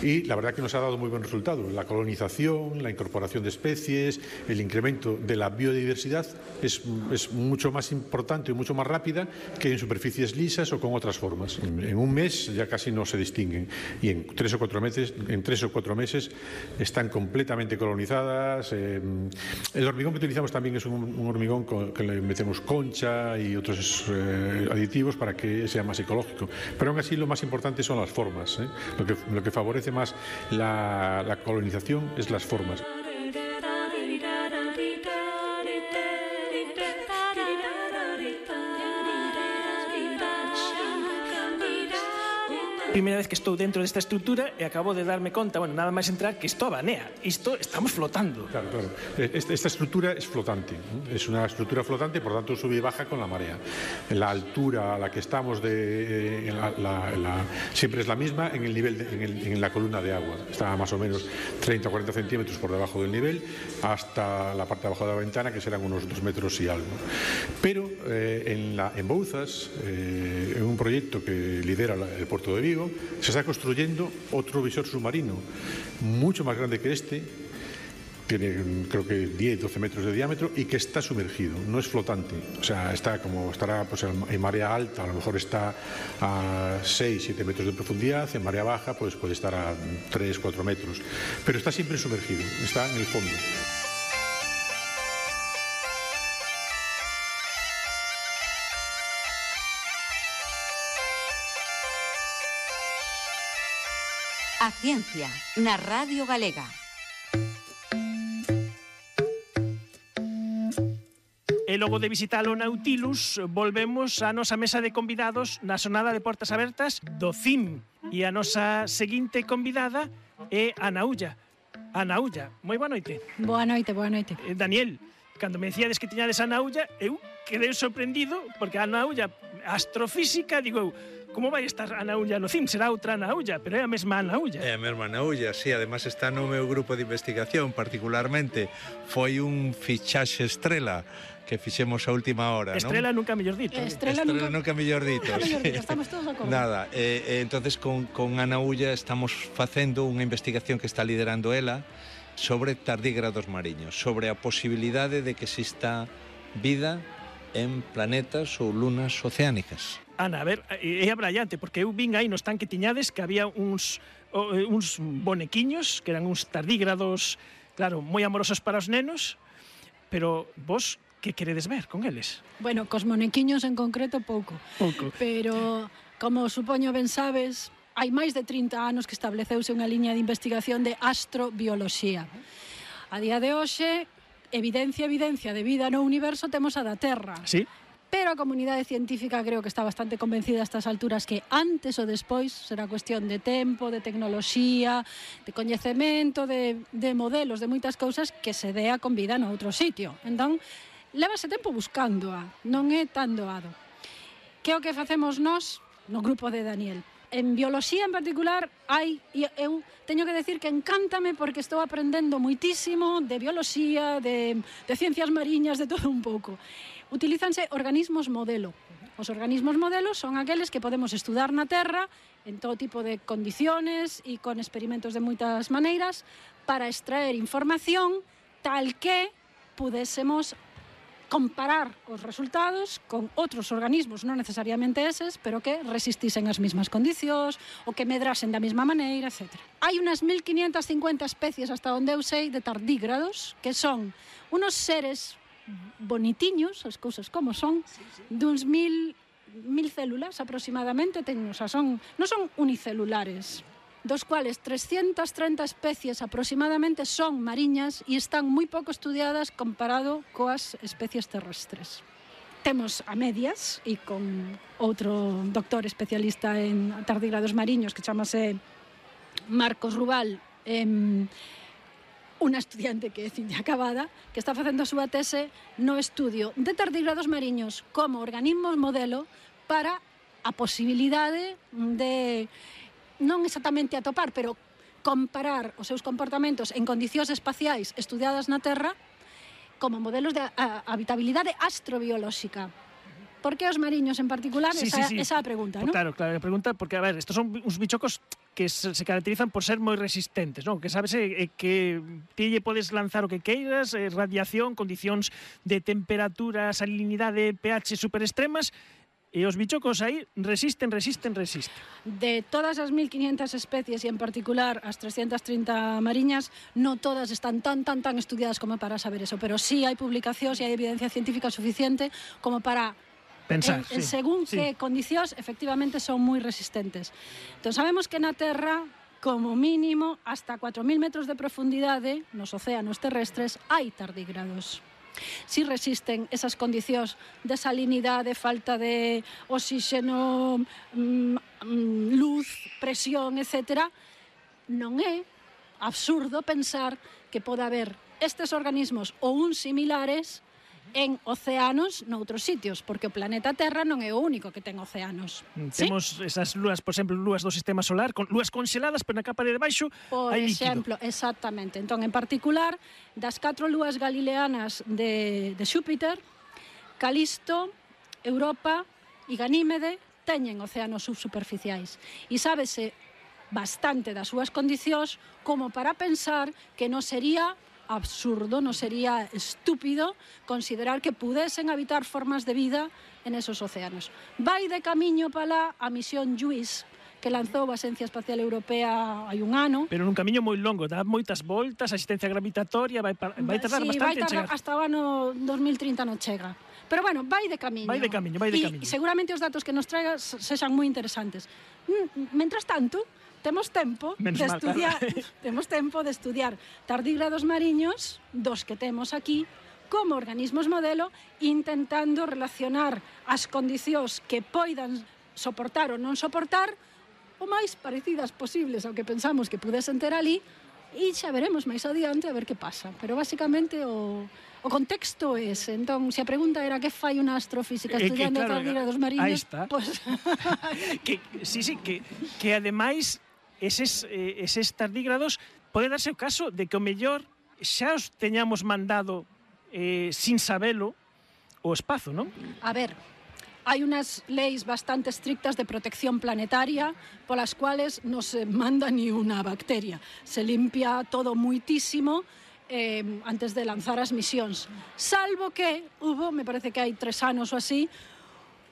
Y la verdad que nos ha dado muy buen resultado. La colonización, la incorporación de especies, el incremento de la biodiversidad es mucho más importante y mucho más rápida que en superficies lisas o con otras formas. En un mes ya casi no se distinguen y en 3 o 4 meses están completamente colonizadas. El hormigón que utilizamos también es un hormigón que le metemos concha y otros aditivos para que sea más ecológico. Pero aún así lo más importante son las formas. Lo que favorece más la colonización es las formas. Primeira vez que estou dentro desta estrutura e acabo de darme conta, nada máis entrar, que isto abanea. Isto estamos flotando. Claro. Esta estructura es flotante. Es una estructura flotante, por tanto sube y baja con la marea. La altura a la que estamos siempre es la misma en el nivel en la columna de agua. Está más o menos 30 o 40 centímetros por debajo del nivel hasta la parte de abajo de la ventana, que serán unos 2 metros y algo. Pero en Bouzas, en un proyecto que lidera el puerto de Vigo, se está construyendo otro visor submarino mucho más grande que este, tiene creo que 10-12 metros de diámetro y que está sumergido, no es flotante, o sea, estará en marea alta, a lo mejor está a 6-7 metros de profundidad, en marea baja pues puede estar a 3-4 metros, pero está siempre sumergido, está en el fondo. A Ciencia, na Radio Galega. E logo de visitar o Nautilus, volvemos á nosa mesa de convidados na xornada de portas abertas do CIM. E a nosa seguinte convidada é Ana Ulla. Ana Ulla, moi boa noite. Boa noite, boa noite. Daniel, cando me decíades que tiñades a Ana Ulla, eu quedei sorprendido, porque a Ana Ulla, astrofísica, digo eu, como vai estar Ana Ulla no CIM? Será outra Ana Ulla, pero é a mesma Ana Ulla. É a mesma Ana Ulla, sí, además está no meu grupo de investigación, particularmente foi un fichaxe estrela que fixemos a última hora, Estrela non? nunca mellor dito. Estrela nunca mellor dito. Estamos todos de acordo. Nada, entonces con Ana Ulla estamos facendo unha investigación que está liderando ela sobre tardígrados mariños, sobre a posibilidade de que exista vida en planetas ou lunas oceánicas. Ana, a ver, é abrallante, porque eu vin aí no estanque tiñades que había uns bonequiños, que eran uns tardígrados, claro, moi amorosos para os nenos, pero vos, que queredes ver con eles? Bueno, cos monequiños en concreto pouco. Pouco. Pero, como supoño ben sabes, hai máis de 30 anos que estableceuse unha liña de investigación de astrobioloxía. A día de hoxe, evidencia de vida no universo temos a da Terra. Sí. Pero a comunidade científica creo que está bastante convencida a estas alturas que antes ou despois será cuestión de tempo, de tecnoloxía, de coñecemento, de modelos, de moitas cousas que se dea con vida no outro sitio. Entón, lévase tempo buscándoa, non é tan doado. Que é o que facemos nós no grupo de Daniel? En bioloxía en particular hai, e eu teño que decir que encántame porque estou aprendendo moitísimo de bioloxía, de ciencias mariñas, de todo un pouco. Utilízanse organismos modelo. Os organismos modelos son aqueles que podemos estudar na Terra en todo tipo de condiciones e con experimentos de moitas maneiras para extraer información tal que pudésemos comparar os resultados con outros organismos, non necesariamente eses, pero que resistisen as mesmas condicións, ou que medrasen da mesma maneira, etc. Hai unas 1550 especies, hasta onde eu sei, de tardígrados, que son unos seres bonitiños, as cousas como son, duns 1000 células aproximadamente, non son unicelulares, dos cuales 330 especies aproximadamente son mariñas e están moi pouco estudiadas comparado coas especies terrestres. Temos a medias e con outro doctor especialista en tardígrados mariños que chamase Marcos Rubal, unha estudiante que é ciña acabada, que está facendo a súa tese no estudio de tardígrados mariños como organismos modelo para a posibilidade de non exactamente atopar, pero comparar os seus comportamentos en condicións espaciais estudiadas na Terra como modelos de habitabilidade astrobiolóxica. Por que os mariños en particular? Esa é a pregunta, non? Claro, a pregunta, porque, a ver, estos son uns bichocos que se caracterizan por ser moi resistentes, non? Que sabes que ti lle podes lanzar o que queiras, radiación, condicións de temperatura, salinidade, pH super extremas, e os bichocos aí resisten. De todas as 1500 especies e en particular as 330 mariñas, non todas están tan estudiadas como para saber eso, pero sí hai publicacións e hai evidencia científica suficiente como para pensar, según que condicións efectivamente son moi resistentes. Entón sabemos que na Terra, como mínimo, hasta 4000 metros de profundidade nos océanos terrestres hai tardígrados. Si resisten esas condicións de salinidade, falta de oxígeno, luz, presión, etc., non é absurdo pensar que pode haber estes organismos ou uns similares en océanos noutros sitios, porque o planeta Terra non é o único que ten océanos. Temos esas lúas, por exemplo, lúas do sistema solar, con lúas conxeladas, pero na capa de debaixo hai líquido. Por exemplo, exactamente. Entón, en particular, das 4 lúas galileanas de Xúpiter, Calisto, Europa e Ganímede teñen océanos subsuperficiais. E sábese bastante das súas condicións como para pensar que non sería absurdo, non sería estúpido considerar que pudesen habitar formas de vida en esos océanos. Vai de camiño para lá a misión JUICE, que lanzou a Axencia Espacial Europea hai un ano. Pero nun camiño moi longo, dá moitas voltas, a asistencia gravitatoria, vai tardar bastante en chegar. Hasta o ano 2030 non chega. Pero bueno, vai de camiño. Vai de camiño. E seguramente os datos que nos traiga sexan moi interesantes. Mentras tanto, temos tempo de estudiar tardígrados mariños, dos que temos aquí, como organismos modelo, intentando relacionar as condicións que poidan soportar ou non soportar o máis parecidas posibles ao que pensamos que pudesen ter ali, e xa veremos máis adiante a ver que pasa. Pero basicamente o contexto é ese. Entón, se a pregunta era que fai unha astrofísica estudiando a tardígrados mariños, pues... que ademais eses tardígrados pode darse o caso de que o mellor xa os teñamos mandado sin sabelo o espazo, non? A ver, hai unas leis bastante estrictas de protección planetaria polas cuales non se manda ni unha bacteria. Se limpia todo muitísimo antes de lanzar as misións. Salvo que hubo, me parece que hai 3 anos ou así,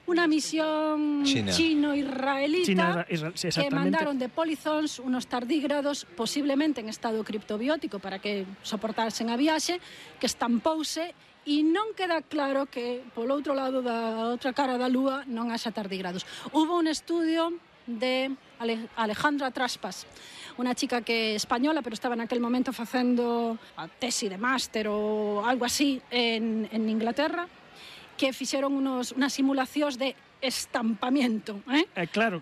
unha misión chino-israelita que mandaron de Polizons unos tardígrados posiblemente en estado criptobiótico para que soportasen a viaxe, que estampouse e non queda claro que polo outro lado da outra cara da lúa non haxa tardígrados. Hubo un estudio de Alejandra Traspas, unha chica que é española, pero estaba naquel momento facendo a tesi de máster ou algo así en Inglaterra, que fixeron unas simulacións de estampamiento, claro.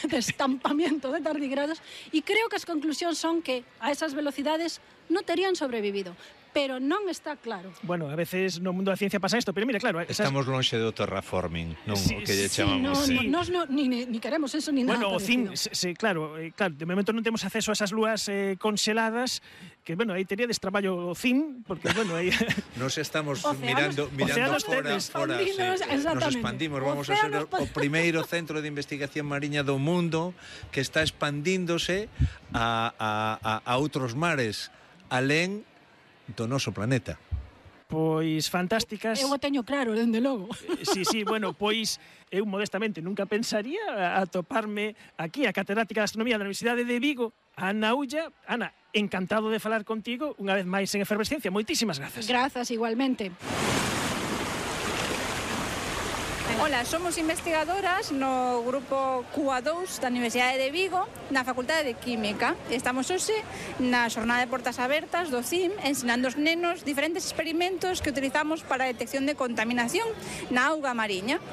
de estampamiento de tardígrados, e creo que as conclusións son que a esas velocidades non terían sobrevivido. Pero non está claro. Bueno, a veces no mundo da ciencia pasa isto, pero mira, claro... Estamos lonxe do terraforming, non? O que lle chamamos. Nos ni queremos eso, ni nada. Bueno, o CIN, claro, de momento non temos acceso a esas lúas conxeladas, que, bueno, aí teríades traballo o CIN, porque, bueno, aí... Nos estamos mirando fora. Nos expandimos, vamos a ser o primeiro centro de investigación mariña do mundo que está expandíndose a outros mares, alén do noso planeta. Pois fantásticas. Eu o teño claro, dende logo. Sí, bueno, pois eu modestamente nunca pensaría atoparme aquí a catedrática de Astronomía da Universidade de Vigo, Ana Ulla. Ana, encantado de falar contigo unha vez máis en Efervesciencia. Moitísimas grazas. Grazas, igualmente. Ola, somos investigadoras no grupo QA2 da Universidade de Vigo, na Facultade de Química. Estamos hoxe na xornada de portas abertas do CIM, ensinando aos nenos diferentes experimentos que utilizamos para a detección de contaminación na auga mariña.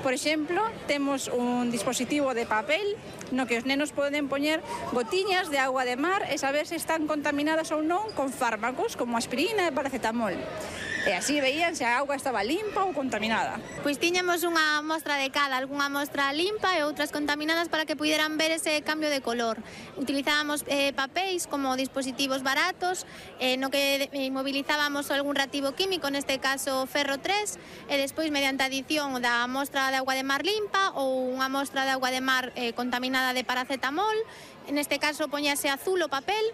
Por exemplo, temos un dispositivo de papel no que os nenos poden poñer gotiñas de agua de mar e saber se están contaminadas ou non con fármacos como aspirina e paracetamol. E así veían se a auga estaba limpa ou contaminada. Pois tiñamos unha mostra de cada, algunha mostra limpa e outras contaminadas para que puderan ver ese cambio de color. Utilizábamos papéis como dispositivos baratos, no que inmovilizábamos algún reactivo químico, neste caso ferro 3, e despois mediante adición da mostra de agua de mar limpa ou unha mostra de agua de mar contaminada de paracetamol, neste caso poñase azul o papel.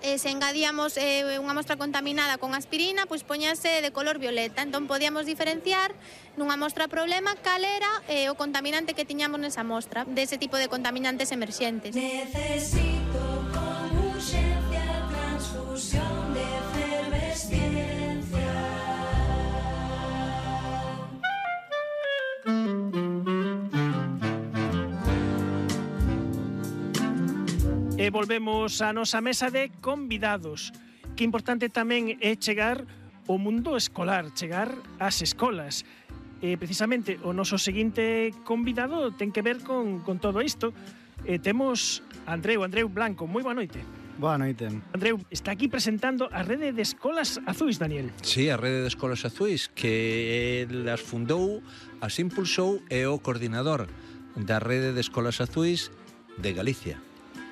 Se engadíamos unha mostra contaminada con aspirina, pois poñase de color violeta. Entón podíamos diferenciar nunha mostra problema cal era o contaminante que tiñamos nesa mostra, dese tipo de contaminantes emerxentes. Necesito con urxencia transfusión de efervesciencia. E volvemos á nosa mesa de convidados. Que importante tamén é chegar ao mundo escolar, chegar ás escolas. Precisamente o noso seguinte convidado ten que ver con todo isto. Temos Andreu Blanco. Moi boa noite. Boa noite. Andreu, está aquí presentando a rede de escolas azuis, Daniel. Sí, a rede de escolas azuis, que las fundou, as impulsou e o coordinador da rede de escolas azuis de Galicia.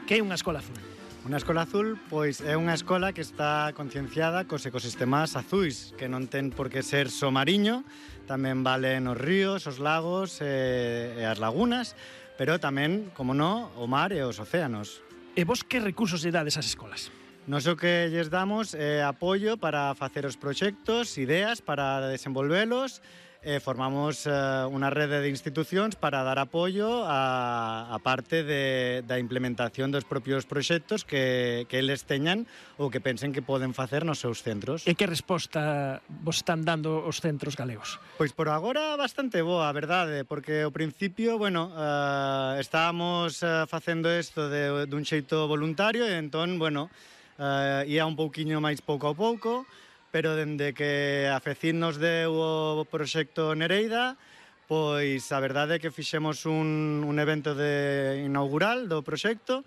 Que é unha escola azul? Unha escola azul, pois, é unha escola que está concienciada cos ecosistemas azuis, que non ten por que ser só mariño, tamén valen os ríos, os lagos e as lagunas, pero tamén, como non, o mar e os océanos. E vos que recursos lle dades ás escolas? Nos o que lles damos é apoio para facer os proxectos, ideas para desenvolvelos. Formamos unha rede de institucións para dar apoio a parte da implementación dos propios proxectos que eles teñan ou que pensen que poden facer nos seus centros. E que resposta vos están dando os centros galegos? Pois por agora bastante boa, a verdade, porque ao principio, bueno, estábamos facendo isto dun xeito voluntario e entón, bueno, ia un pouquiño máis pouco a pouco, pero dende que a FECIT nos deu o proxecto Nereida, pois a verdade é que fixemos un evento inaugural do proxecto,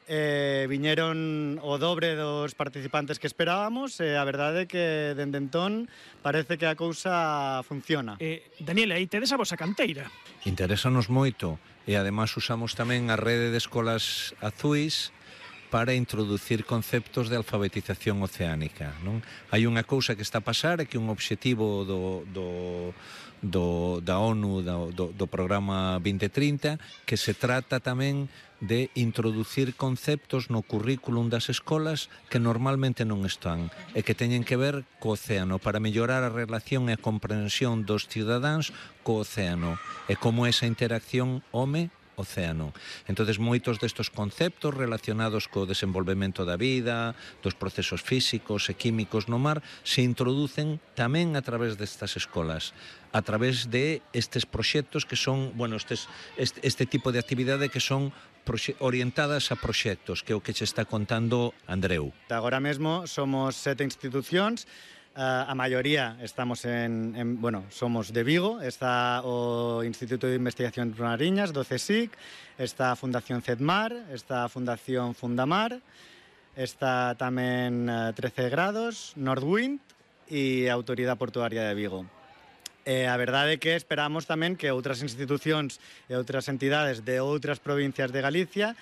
viñeron o dobre dos participantes que esperábamos e a verdade é que dende entón parece que a cousa funciona. Daniel, aí tedes a vosa canteira. Interésanos moito e ademais usamos tamén a rede de escolas azuis para introducir conceptos de alfabetización oceánica, non? Hai unha cousa que está a pasar, é que un obxectivo da ONU, do programa 2030, que se trata tamén de introducir conceptos no currículum das escolas que normalmente non están e que teñen que ver co océano para mellorar a relación e a comprensión dos cidadáns co océano e como esa interacción home-océano. Entonces, moitos destes conceptos relacionados co desenvolvemento da vida, dos procesos físicos e químicos no mar, se introducen tamén a través destas escolas, a través de estes proxectos que son, bueno, este tipo de actividade que son orientadas a proxectos, que é o que che está contando Andreu. Agora mesmo somos 7 institucións, a maioría estamos somos de Vigo, está o Instituto de Investigación Mariñas do CSIC, está a Fundación CEDMAR, está a Fundación Fundamar, está tamén 13 grados, Nordwind e a Autoridade Portuaria de Vigo. A verdade é que esperamos tamén que outras institucións e outras entidades de outras provincias de Galicia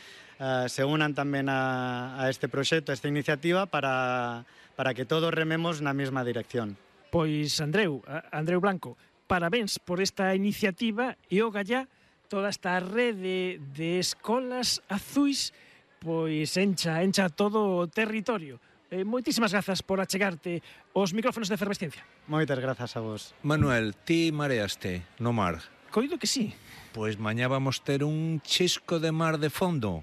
se unan tamén a este proxecto, a esta iniciativa para que todos rememos na mesma dirección. Pois, Andreu Blanco, parabéns por esta iniciativa e o gallá toda esta rede de escolas azuis pois encha todo o territorio. Moitísimas grazas por achegarte aos micrófonos de Efervesciencia. Moitas grazas a vos. Manuel, ti mareaste no mar? Coido que sí. Pois mañá vamos ter un chisco de mar de fondo.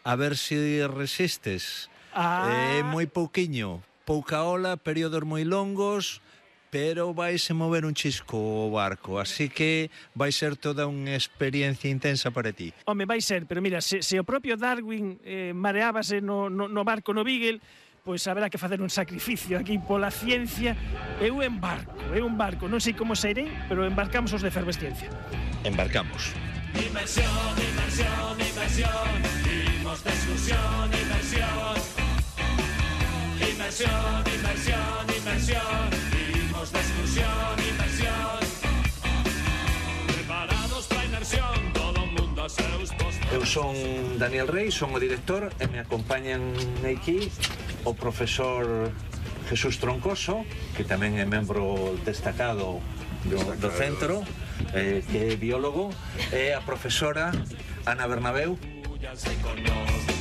A ver se resistes. É moi pouquiño, pouca ola, períodos moi longos, pero vaise mover un chisco o barco, así que vai ser toda unha experiencia intensa para ti. Home, vai ser, pero mira, se o propio Darwin mareábase no barco no Beagle, pois haberá que facer un sacrificio aquí pola ciencia. Eu embarco, non sei como serei, pero embarcamos os de Efervesciencia. Embarcamos. Inmersión, inmersión, inmersión, imos de excursión, inmersión. Inmersión, inmersión, inmersión, imos de excursión, inmersión. Preparados para inmersión, todo o mundo a seus postos. Eu son Daniel Rey, son o director e me acompañan aquí o profesor Jesús Troncoso, que tamén é membro destacado do centro, que é biólogo, e a profesora Ana Bernabeu.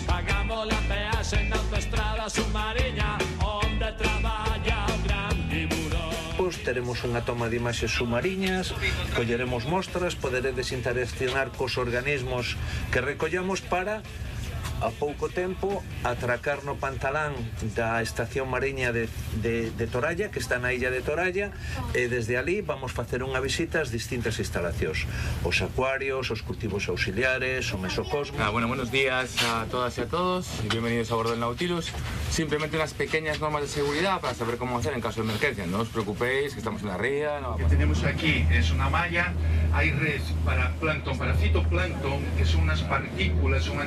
Pagamos la peaxe na autoestrada submarina onde traballa o gran tiburón. Pois teremos unha toma de imaxes submariñas, colleremos mostras, poderedes interaccionar cos organismos que recollamos para a pouco tempo atracar no pantalán da estación mariña de Toralla, que está na illa de Toralla, e desde ali vamos facer unha visita ás distintas instalacións, os acuarios, os cultivos auxiliares, o mesocosmo. Bueno, buenos días a todas y a todos y bienvenidos a bordo del Nautilus. Simplemente unas pequeñas normas de seguridad para saber cómo hacer en caso de emergencia. No os preocupéis, que estamos en la ría. Lo que tenemos aquí es una malla, hay redes para plancton, para fitoplancton, que son unas partículas, son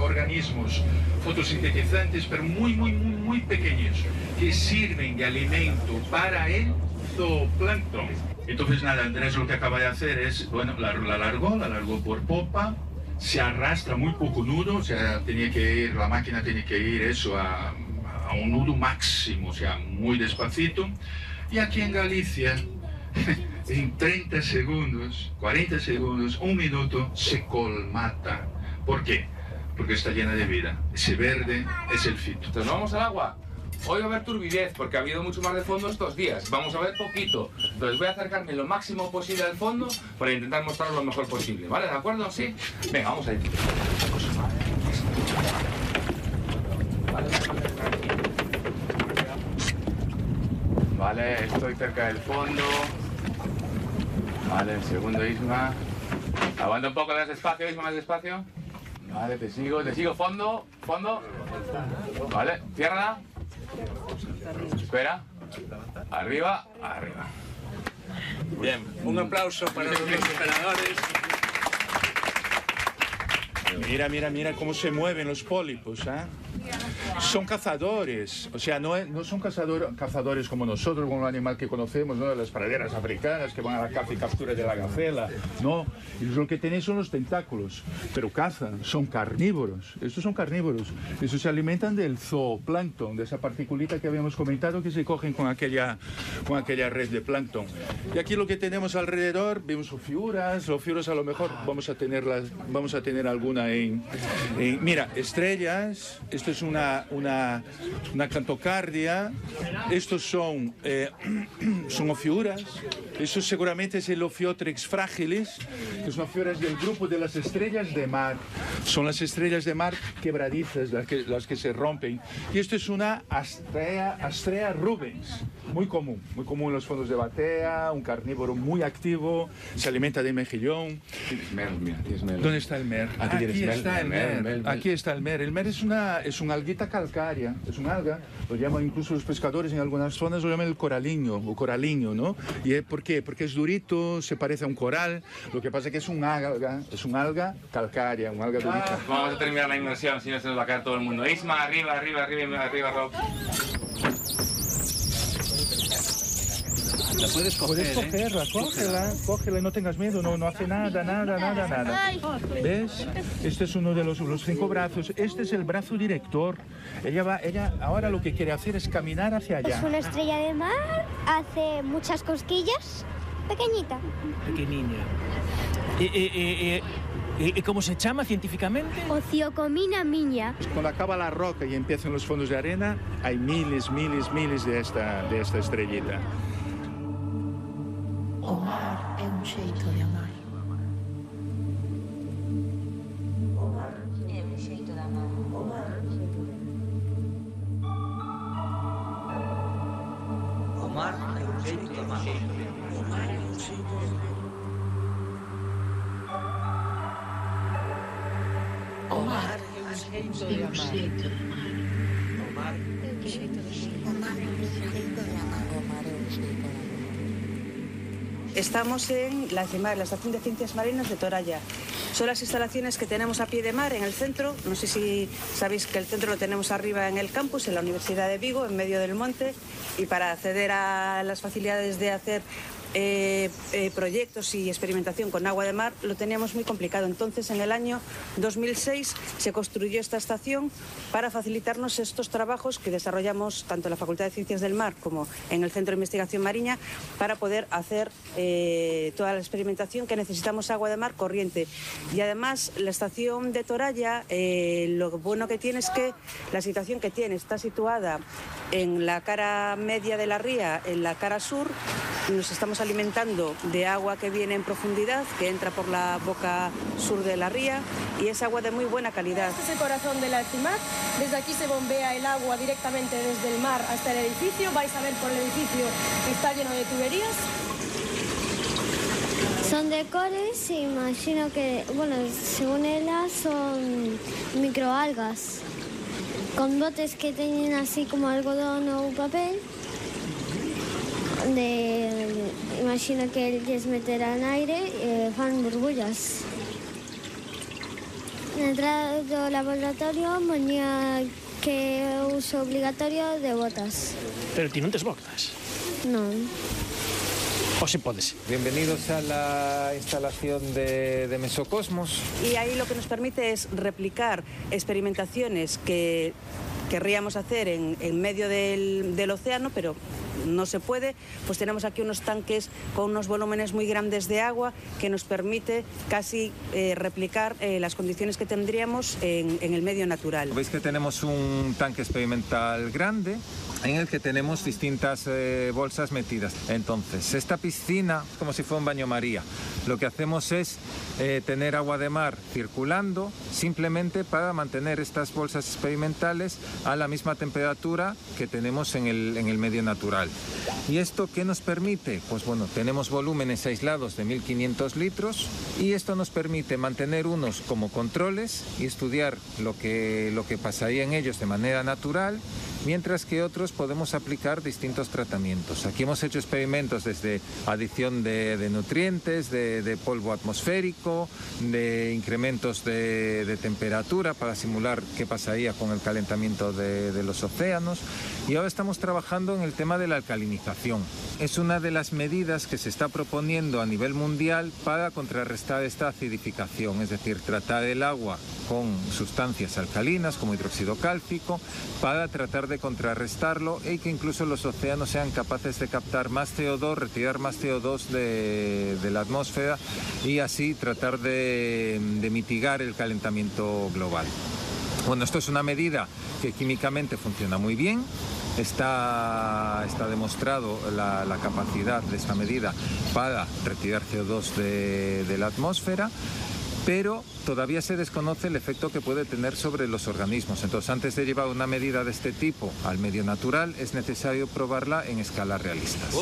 organismos fotosintetizantes, pero muy pequeños, que sirven de alimento para el zooplancton. Entonces nada, Andrés lo que acaba de hacer es, bueno, la largó por popa, se arrastra muy poco nudo, o sea, la máquina tiene que ir eso a un nudo máximo, o sea, muy despacito. Y aquí en Galicia, en 30 segundos, 40 segundos, un minuto, se colmata. ¿Por qué? Porque está llena de vida. Ese verde es el fito. Entonces, ¿no vamos al agua? Hoy va a haber turbidez porque ha habido mucho mar de fondo estos días. Vamos a ver poquito. Entonces voy a acercarme lo máximo posible al fondo para intentar mostraros lo mejor posible. ¿Vale? ¿De acuerdo? ¿Sí? Venga, vamos a ir. Vale, estoy cerca del fondo. Vale, el segundo, Isma. Aguanta un poco más despacio, Isma, más despacio. Vale, te sigo, fondo. Vale, cierra. Espera. Arriba, arriba. Bien, un aplauso para los operadores. Mira cómo se mueven los pólipos, ¿eh? Son cazadores, o sea, no son cazadores como nosotros, como un animal que conocemos, ¿no? Las praderas africanas que van a la caza y captura de la gacela, no. Y lo que tenéis son los tentáculos, pero cazan, son carnívoros. Estos son carnívoros. Estos se alimentan del zooplancton, de esa particulita que habíamos comentado que se cogen con aquella red de plancton. Y aquí lo que tenemos alrededor, vemos ofiuras a lo mejor vamos a tener alguna en mira, estrellas. Esto es una cantocardia. Estos son ofiuras. Eso seguramente es el Ophiotrex fragilis, que son ofiuras del grupo de las estrellas de mar. Son las estrellas de mar quebradizas, las que se rompen. Y esto es una Astrea rubens, muy común en los fondos de Batea, un carnívoro muy activo, se alimenta de mejillón. ¿Dónde está el mer? Aquí está el mer. Aquí está el mer. El mer es una alguita calcárea, es un alga, lo llaman incluso los pescadores en algunas zonas, lo llaman el coraliño o coraliño, ¿no? ¿Y por qué? Porque es durito, se parece a un coral, lo que pasa es que es un alga calcárea, un alga durita. Vamos a terminar la inmersión, si no se nos va a caer todo el mundo. Isma, arriba, Rob. La puedes cogerla, cógela, no tengas miedo, no hace nada. ¿Ves? Este es uno de los 5 brazos, este es el brazo director. Ella ahora lo que quiere hacer es caminar hacia allá. Es una estrella de mar, hace muchas cosquillas, pequeñita. Pequeniña. ¿Cómo se llama científicamente? Ociocomina miña. Cuando acaba la roca y empiezan los fondos de arena, hay miles de esta estrellita. O mar é un xeito de amar. O mar é un xeito de amar. O mar. O mar é un xeito de amar. O mar é un xeito de amar. O mar é un xeito de amar. O mar é un xeito de amar. O mar é un xeito de amar. O mar é un xeito de amar. Estamos en la CIMAR, la Estación de Ciencias Marinas de Toralla. Son las instalaciones que tenemos a pie de mar en el centro. No sé si sabéis que el centro lo tenemos arriba en el campus, en la Universidad de Vigo, en medio del monte. Y para acceder a las facilidades de hacer proyectos y experimentación con agua de mar lo teníamos muy complicado. Entonces, en el año 2006 se construyó esta estación para facilitarnos estos trabajos que desarrollamos tanto en la Facultad de Ciencias del Mar como en el Centro de Investigación Marina para poder hacer toda la experimentación que necesitamos agua de mar corriente. Y además la estación de Toralla, lo bueno que tiene es que la situación que tiene está situada en la cara media de la ría, en la cara sur. Nos estamos alimentando de agua que viene en profundidad, que entra por la boca sur de la ría, y es agua de muy buena calidad. Este es el corazón de la CIMAR. Desde aquí se bombea el agua directamente desde el mar hasta el edificio. Vais a ver por el edificio que está lleno de tuberías. Son de cores, imagino que, bueno, según ellas son microalgas, con botes que tienen así como algodón o papel. Imagino que ellos meterán aire y fan burbullas. En la entrada del laboratorio ponía que uso obligatorio de botas. Pero ti non tes botas? No. O se podes. Bienvenidos a la instalación de Mesocosmos. Y ahí lo que nos permite es replicar experimentaciones que querríamos hacer en medio del océano, pero no se puede. Pues tenemos aquí unos tanques con unos volúmenes muy grandes de agua que nos permite casi replicar las condiciones que tendríamos en el medio natural. Veis que tenemos un tanque experimental grande en el que tenemos distintas bolsas metidas. Entonces, esta piscina es como si fuera un baño María. Lo que hacemos es tener agua de mar circulando simplemente para mantener estas bolsas experimentales a la misma temperatura que tenemos en el medio natural. ¿Y esto qué nos permite? Pues bueno, tenemos volúmenes aislados de 1500 litros y esto nos permite mantener unos como controles y estudiar lo que pasaría en ellos de manera natural mientras que otros podemos aplicar distintos tratamientos. Aquí hemos hecho experimentos desde adición de nutrientes, de polvo atmosférico, de incrementos de temperatura para simular qué pasaría con el calentamiento de los océanos, y ahora estamos trabajando en el tema de la alcalinización. Es una de las medidas que se está proponiendo a nivel mundial para contrarrestar esta acidificación, es decir, tratar el agua con sustancias alcalinas como hidróxido cálcico para tratar de contrarrestarlo y que incluso los océanos sean capaces de captar más CO2, retirar más CO2 de la atmósfera y así tratar de mitigar el calentamiento global. Bueno, esto es una medida que químicamente funciona muy bien. Está demostrado la capacidad de esta medida para retirar CO2 de la atmósfera, pero todavía se desconoce el efecto que puede tener sobre los organismos. Entonces, antes de llevar una medida de este tipo al medio natural, es necesario probarla en escalas realistas.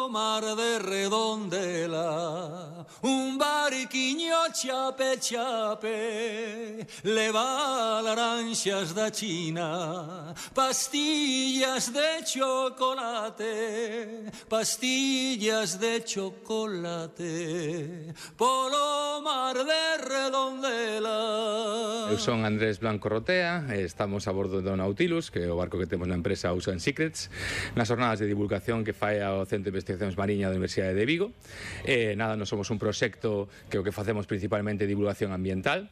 Mar de Redondela, un barquiño chape chape, le va laranjas da China, pastillas de chocolate, pastillas de chocolate, polo mar de Redondela. Eu son Andrés Blanco Rotea, estamos a bordo do Nautilus, que é o barco que temos na empresa Ocean Secrets, nas jornadas de divulgación que fai ao Centro de Investigacións Mariña da Universidade de Vigo. Nós somos un proxecto que o que facemos principalmente é divulgación ambiental.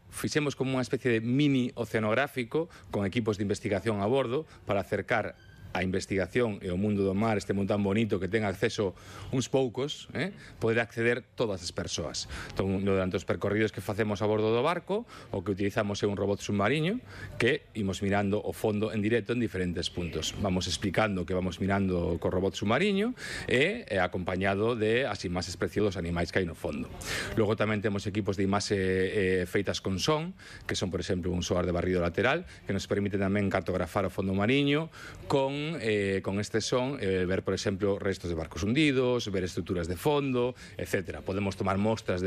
Fixemos como unha especie de mini oceanográfico con equipos de investigación a bordo para acercar a investigación e o mundo do mar, este mundo tan bonito que ten acceso uns poucos, poder acceder todas as persoas. Entón, durante os percorridos que facemos a bordo do barco, o que utilizamos é un robot submarino que imos mirando o fondo en directo en diferentes puntos. Vamos explicando que vamos mirando co robot submarino e acompañado de as imaxes preciosas dos animais que hai no fondo. Logo tamén temos equipos de imaxe feitas con son, que son, por exemplo, un soar de barrido lateral, que nos permite tamén cartografar o fondo mariño con este son, ver, por exemplo, restos de barcos hundidos, ver estruturas de fondo, etc. Podemos tomar mostras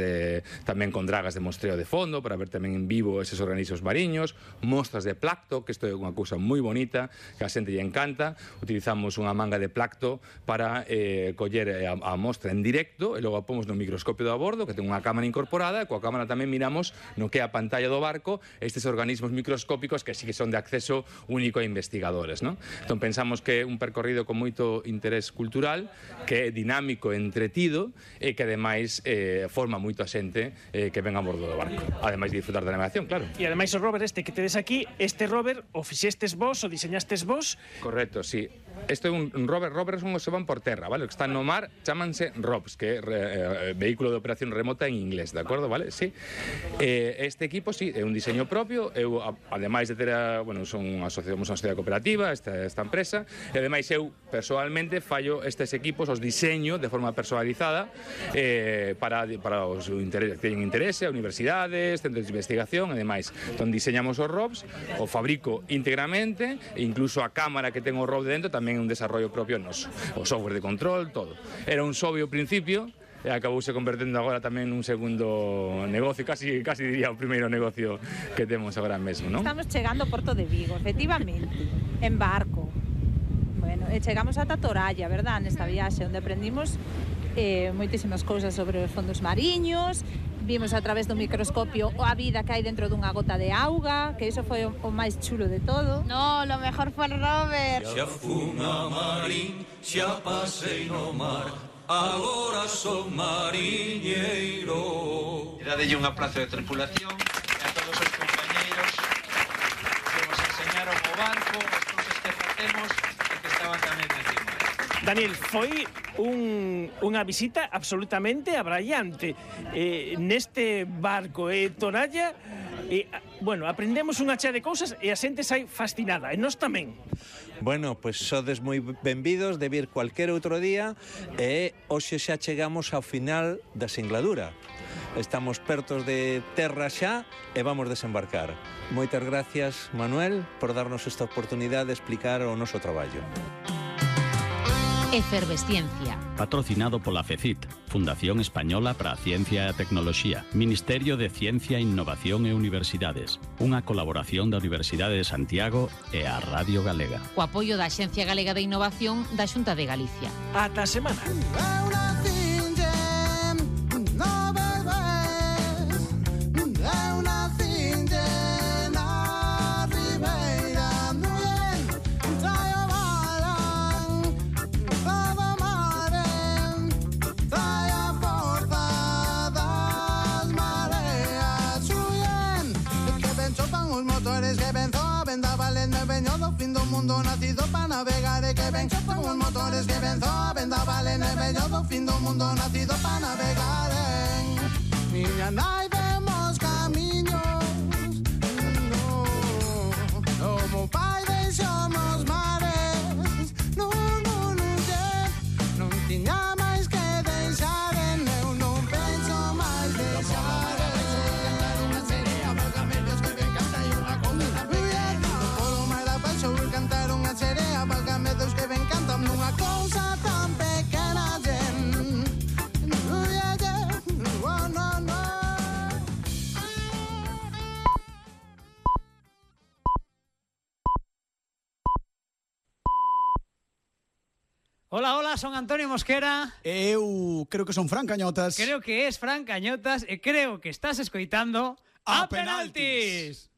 tamén con dragas de mostreo de fondo para ver tamén en vivo eses organismos mariños, mostras de placto, que isto é unha cousa moi bonita, que a xente lle encanta. Utilizamos unha manga de placto para coller a mostra en directo e logo a pomos no microscopio do a bordo, que ten unha cámara incorporada, e coa cámara tamén miramos no que é a pantalla do barco estes organismos microscópicos que sí que son de acceso único a investigadores, non? Entón pensamos que é un percorrido con moito interés cultural, que é dinámico e entretido e que ademais forma moito a xente que ven a bordo do barco, ademais de disfrutar da navegación, claro. E ademais o rover este que tedes aquí, este rover o fixestes vos, o diseñastes vos? Correcto, sí. Este é un rover, rovers son os que van por terra, vale? O que están no mar chámanse ROVs, que é vehículo de operación remota en inglés, de acordo, vale? Sí. Este equipo, sí, é un diseño propio. Eu, ademais de ter somos unha sociedade cooperativa, esta empresa, e ademais eu, persoalmente, fallo estes equipos, os diseño de forma personalizada para os que teñen interese, a universidades, centros de investigación, e demais. Entón, diseñamos os ROVs, o fabrico íntegramente, e incluso a cámara que ten o ROV dentro tamén é un desarrollo propio noso. O software de control, todo. Era un hobby ao principio, e acabouse convertendo agora tamén nun segundo negocio, casi diría o primeiro negocio que temos agora mesmo, non? Estamos chegando ao Porto de Vigo, efectivamente, en barco. Bueno, e chegamos ata Toralla, verdad, nesta viaxe, onde aprendimos moitísimas cousas sobre os fondos mariños, vimos a través do microscopio a vida que hai dentro dunha gota de auga, que iso foi o máis chulo de todo. No, lo mejor fue el rover. Xa fun a marín, xa pasei no mar, agora son mariñeiro. Dadelle un abrazo de tripulación e a todos os compañeiros que nos enseñaron o barco, as cousas que facemos e que estaban tamén encima. Daniel, foi unha visita absolutamente abraiante neste barco Toralla. Bueno, aprendemos unha chea de cousas e a xente sai fascinada, e nós tamén. Bueno, pois sodes moi benvidos de vir cualquier outro día e hoxe xa chegamos ao final da singladura. Estamos pertos de terra xa e vamos desembarcar. Moitas gracias, Manuel, por darnos esta oportunidade de explicar o noso traballo. Efervesciencia. Patrocinado pola FECIT, Fundación Española para a Ciencia e a Tecnoloxía, Ministerio de Ciencia, Innovación e Universidades, unha colaboración da Universidade de Santiago e a Radio Galega. O apoio da Axencia Galega de Innovación da Xunta de Galicia. Ata a semana. Que venzo a vendaval en el veño do fin do mundo nacido para navegar e que ven con os motores que venzo a vendaval en el veño do fin do mundo nacido para navegar miña nai vemos camiños no mo pai deixamos mares non tiña máis que deixar eu non penso máis deixar que me encantan nunha cousa tan pequena Hola, hola, son Antonio Mosquera. Eu creo que son Fran Cañotas. Creo que es Fran Cañotas e creo que estás escoitando A Penaltis.